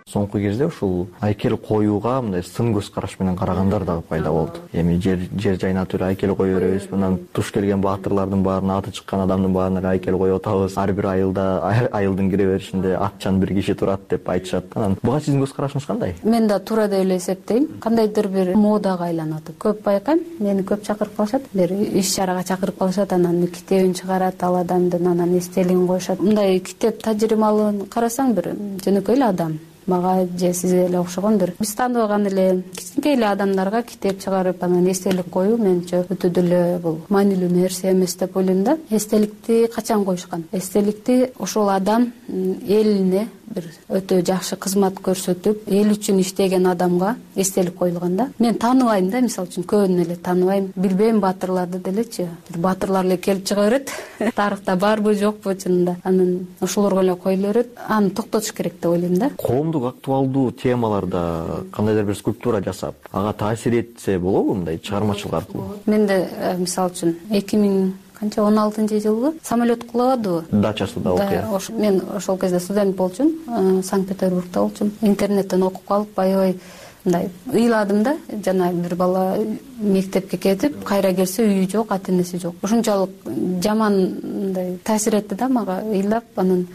Соңку кезде ушул айкел коюуга мындай сын көз караш менен карагандар дагы пайда болду. Эми жер жер жайына тура айкел кое беребиз. Мындан туш келген баатырлардын баарына, аты чыккан адамдын баарына айкел коюп атабыз. Ар бир айылда айылдын кире беришинде атчан бир киши турат деп айтышат. Анан буга сиздин көз карашыңыз кандай? Мен да туура деп эле эсептейм. Кандайдыр бир модага айланат. Көп байкайм, мени көп чакырып калышат. Бир иш чарага чакырып калышат, анан китебин чыгарат, ал адамдын анан эстелигин коюшат. Мындай китеп тажрыйбалыгын карасаң, бир жөнөкөй эле адам. Мага же сизге эле окшогон бир биз тааныбаган эле кичинекей эле адамдарга китеп чыгарып анан эстелик коюу менимче өтө деле бул маанилүү нерсе эмес деп ойлойм да. Эстеликти качан коюшкан? Эстеликти ошол адам элине бир өтө жакшы кызмат көрсөтүп, эл үчүн иштеген адамга эстелик коюлган да. Мен тааныбайм да, мисалы үчүн көбүн эле тааныбайм, билбейм баатырларды делечи. Бир баатырлар эле келип чыга берет. Тарыхта барбы жокпу чынында. Анан ошолорго эле коюла берет. Аны токтотуш керек деп ойлойм да. Коомдук актуалдуу темаларда кандайдыр бир скульптура жасап, ага таасир этсе болобу мындай чыгармачылык аркылуу? Менде мисалы үчүн эки миң канча он алтынчы жылы самолет кулагадыбы? Дачасында окуя. Мен ошол кезде студент болчумун, Санкт-Петербургда болчумун. Интернеттен окуп калып, аябай мындай ыйладым да. Жана бир бала мектепке кетип, кайра келсе үйү жок, ата-энеси жок. Ушунчалык жаман мындай таасир этти да мага. Ыйлап, анан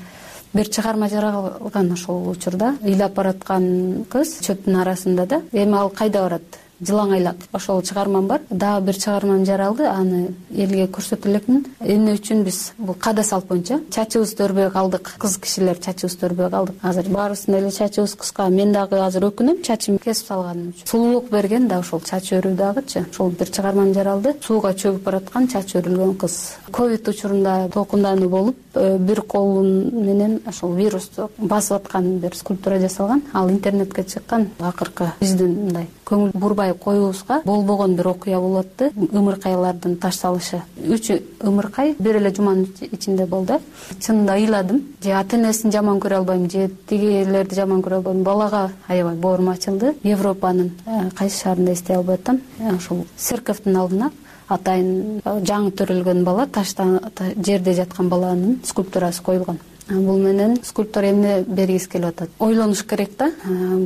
бир чыгарма жаралган ошол учурда. Ыйлап бараткан кыз чөптүн арасында да. Эми ал кайда барат? Жылаң айлап. Ошол чыгармам бар. Дагы бир чыгармам жаралды. Аны элге көрсөтө элекмин. Эмне үчүн биз бул када салт боюнча чачыбызды өрбөй калдык. Кыз кишилер чачыбызды өрбөй калдык. Азыр баарыбыздын эле чачыбыз кыска. Мен дагы азыр өкүнөм, чачымды кесип салганым үчүн. Сулуулук берген да ошол чач өрүү дагычы. Ошол бир чыгармам жаралды. Сууга чөгүп бараткан чач өрүлгөн кыз. Ковид учурунда толкундануу болуп, бир колун менен ошол вирусту басып аткан бир скульптура жасалган. Ал интернетке чыккан. Акыркы биздин мындай көңүл бурбай коюубузга болбогон бир окуя болот. Ымыркайлардын таш салышы. Үч ымыркай бир эле жуманын ичинде болду. Чынында ыйладым. Же ата-энесин жаман көрө албайм, же тигилерди жаман көрө албайм. Балага аябай боорум ачылды. Европанын кайсы шаарында эстей албай атам. Ошол церковдун алдына атайын жаңы төрөлгөн бала, таштан жерде жаткан баланын скульптурасы коюлган. Бул менен скульптор эмне бергиси келип атат? Ойлонуш керек да.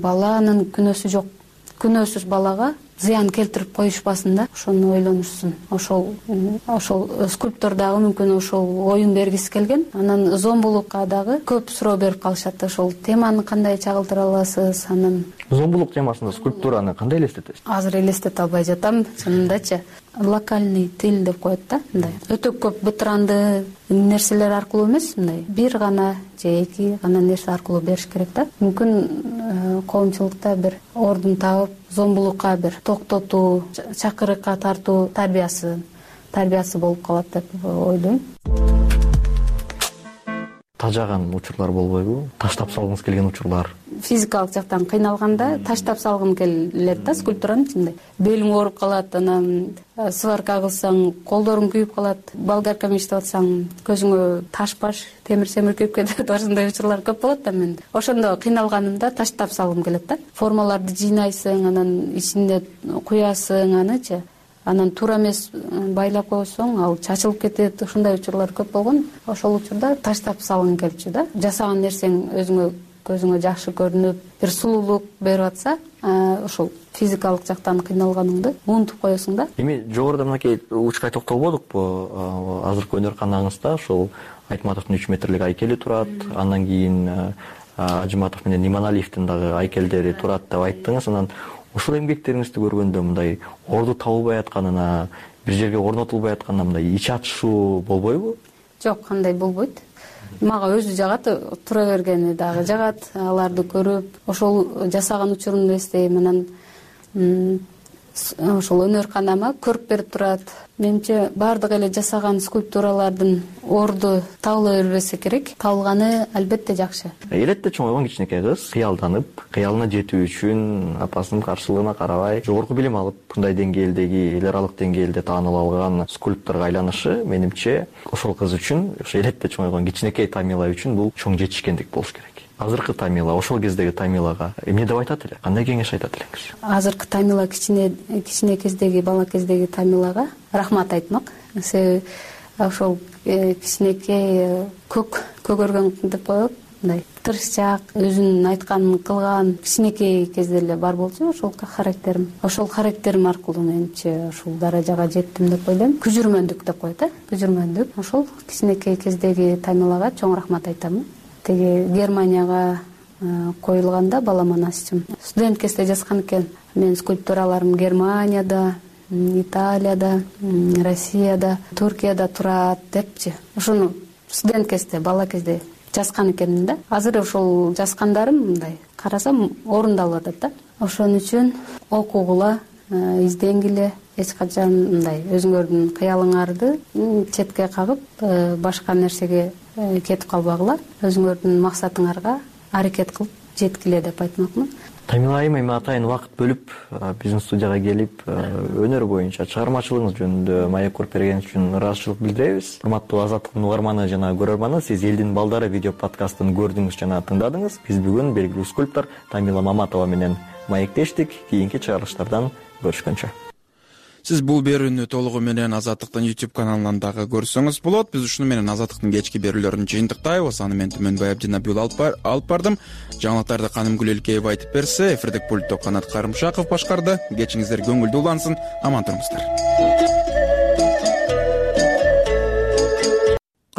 Баланын күнөөсү жок. Күнөөсүз балага зыян келтирип коюшпасын да, ошону ойлонушсун. Ошол ошол скульптор дагы мүмкүн ошол оюн бергиси келген. Анан зомбулукка дагы көп суроо берип калышат. Ошол теманы кандай чагылдыра аласыз? Анан зомбулук темасында скульптураны кандай элестетесиз? Азыр элестете албай жатам, чынындачы. Локальный тил деп коет да, мындай. Өтө көп бытыранды нерселер аркылуу эмес, мындай бир гана же эки гана нерсе аркылуу бериш керек да. Мүмкүн коомчулукта бир ордун таап, зомбулукка бир токтотуу, чакырыкка тартуу тарбиясы, тарбиясы болуп калат деп ойлойм. Тажаган учурлар болбойбу? Таштап салгыңыз келген учурлар? Физикалык жактан кыйналганда таштап салгым келет да скульптуранын ичинде. Белиң ооруп калат, анан сварка кылсаң колдоруң күйүп калат, болгарка менен иштеп атсаң көзүңө таш баш, темир семир күйүп кетет. Ошондой учурлар көп болот да менде. Ошондо кыйналганымда таштап салгым келет да. Формаларды жыйнайсың, анан ичинде куясың анычы. Анан туура эмес байлап койсоң, ал чачылып кетет. Ушундай учурлар көп болгон. Ошол учурда таштап салгың келчү да. Жасаган нерсең өзүңө көзүңө жакшы көрүнүп, бир сулуулук берип атса, ошол физикалык жактан кыйналганыңды унутуп коесуң да. Эми жогоруда мынакей учкай токтолбодукпу? Азыркы өнөр-канаңызда ошол Айтматовдун үч метрлик айкели турат, андан кийин Ажыматов менен Иманалиевдин дагы айкелдери турат деп айттыңыз. Анан ушул эмгектериңизди көргөндө мындай орду табылбай атканына, бир жерге орнотулбай атканына мындай ич ачышуу болбойбу? Жок, кандай болбойт. Мага өзү жагат, тура бергени дагы жагат. Аларды көрүп, ошол жасаган учурумду эстейм. Анан ошол өнөр-канама көрүп берип турат. Менимче баардык эле жасаган скульптуралардын орду табыла бербесе керек. Табылганы албетте жакшы. Элетте чоңойгон кичинекей кыз кыялданып, кыялына жетүү үчүн апасынын каршылыгына карабай жогорку билим алып, мындай деңгээлдеги, эл аралык деңгээлде таанылып алган скульпторго айланышы, менимче ошол кыз үчүн, ошо элетте чоңойгон кичинекей Тамила үчүн бул чоң жетишкендик болуш керек. азыркы Тамила ошол кездеги Тамилага эмне деп айтат эле, кандай кеңеш айтат элеңиз? Азыркы Тамила кичине кичине кездеги, бала кездеги Тамилага рахмат айтмак. Себеби ошол кичинекей көк көгөргөн деп коет, мындай тырышчаак, өзүнүн айтканын кылган кичинекей кезде эле бар болчу ошол характерим. Ошол характерим аркылуу менчи ушул даражага жеттим деп ойлойм. Күжүрмөндүк деп коет, э? Күжүрмөндүк. Ошол кичинекей кездеги Тамилага чоң рахмат айтам. Теги Германияга коюлганда балам анасычым студент кезде жазган экен. Менин скульптураларым Германияда, Италияда, Россияда, Туркияда турат депчи. Ошону студент кезде, бала кезде жазган экенмин да. Азыр ошол жазгандарым мындай карасам орундалып атат да. Ошон үчүн окугула, изденгиле, эч качан мындай өзүңөрдүн кыялыңарды четке кагып, башка нерсеге кетип калбагыла, өзүңөрдүн максатыңарга аракет кылып жеткиле деп айтмакмын. Тамила айым эми атайын убакыт бөлүп биздин студияга келип өнөр боюнча чыгармачылыгыңыз жөнүндө маек коруп берген үчүн ыраазычылык билдиребиз. Урматтуу Азаттыктын угарманы жана көрөрманы, сиз Элдин балдары видео подкастын көрдүңүз жана тыңдадыңыз. Биз бүгүн белгилүү скульптор Тамила Маматова менен маектештик. Кийинки чыгарылыштардан көрүшкөнчө. Сиз бул берүүнү толугу менен Азаттыктын YouTube каналынан дагы көрсөңүз болот. Биз ушуну менен Азаттыктын кечки берүүлөрүн жыйынтыктайбыз. Аны мен Түмөнбай Абдинабиул алып бардым. Жаңылыктарды Канымгүл Элкеева айтып берсе, эфирдик пультту Канат Карымшаков башкарды. Кечиңиздер көңүлдүү улансын, аман туруңуздар.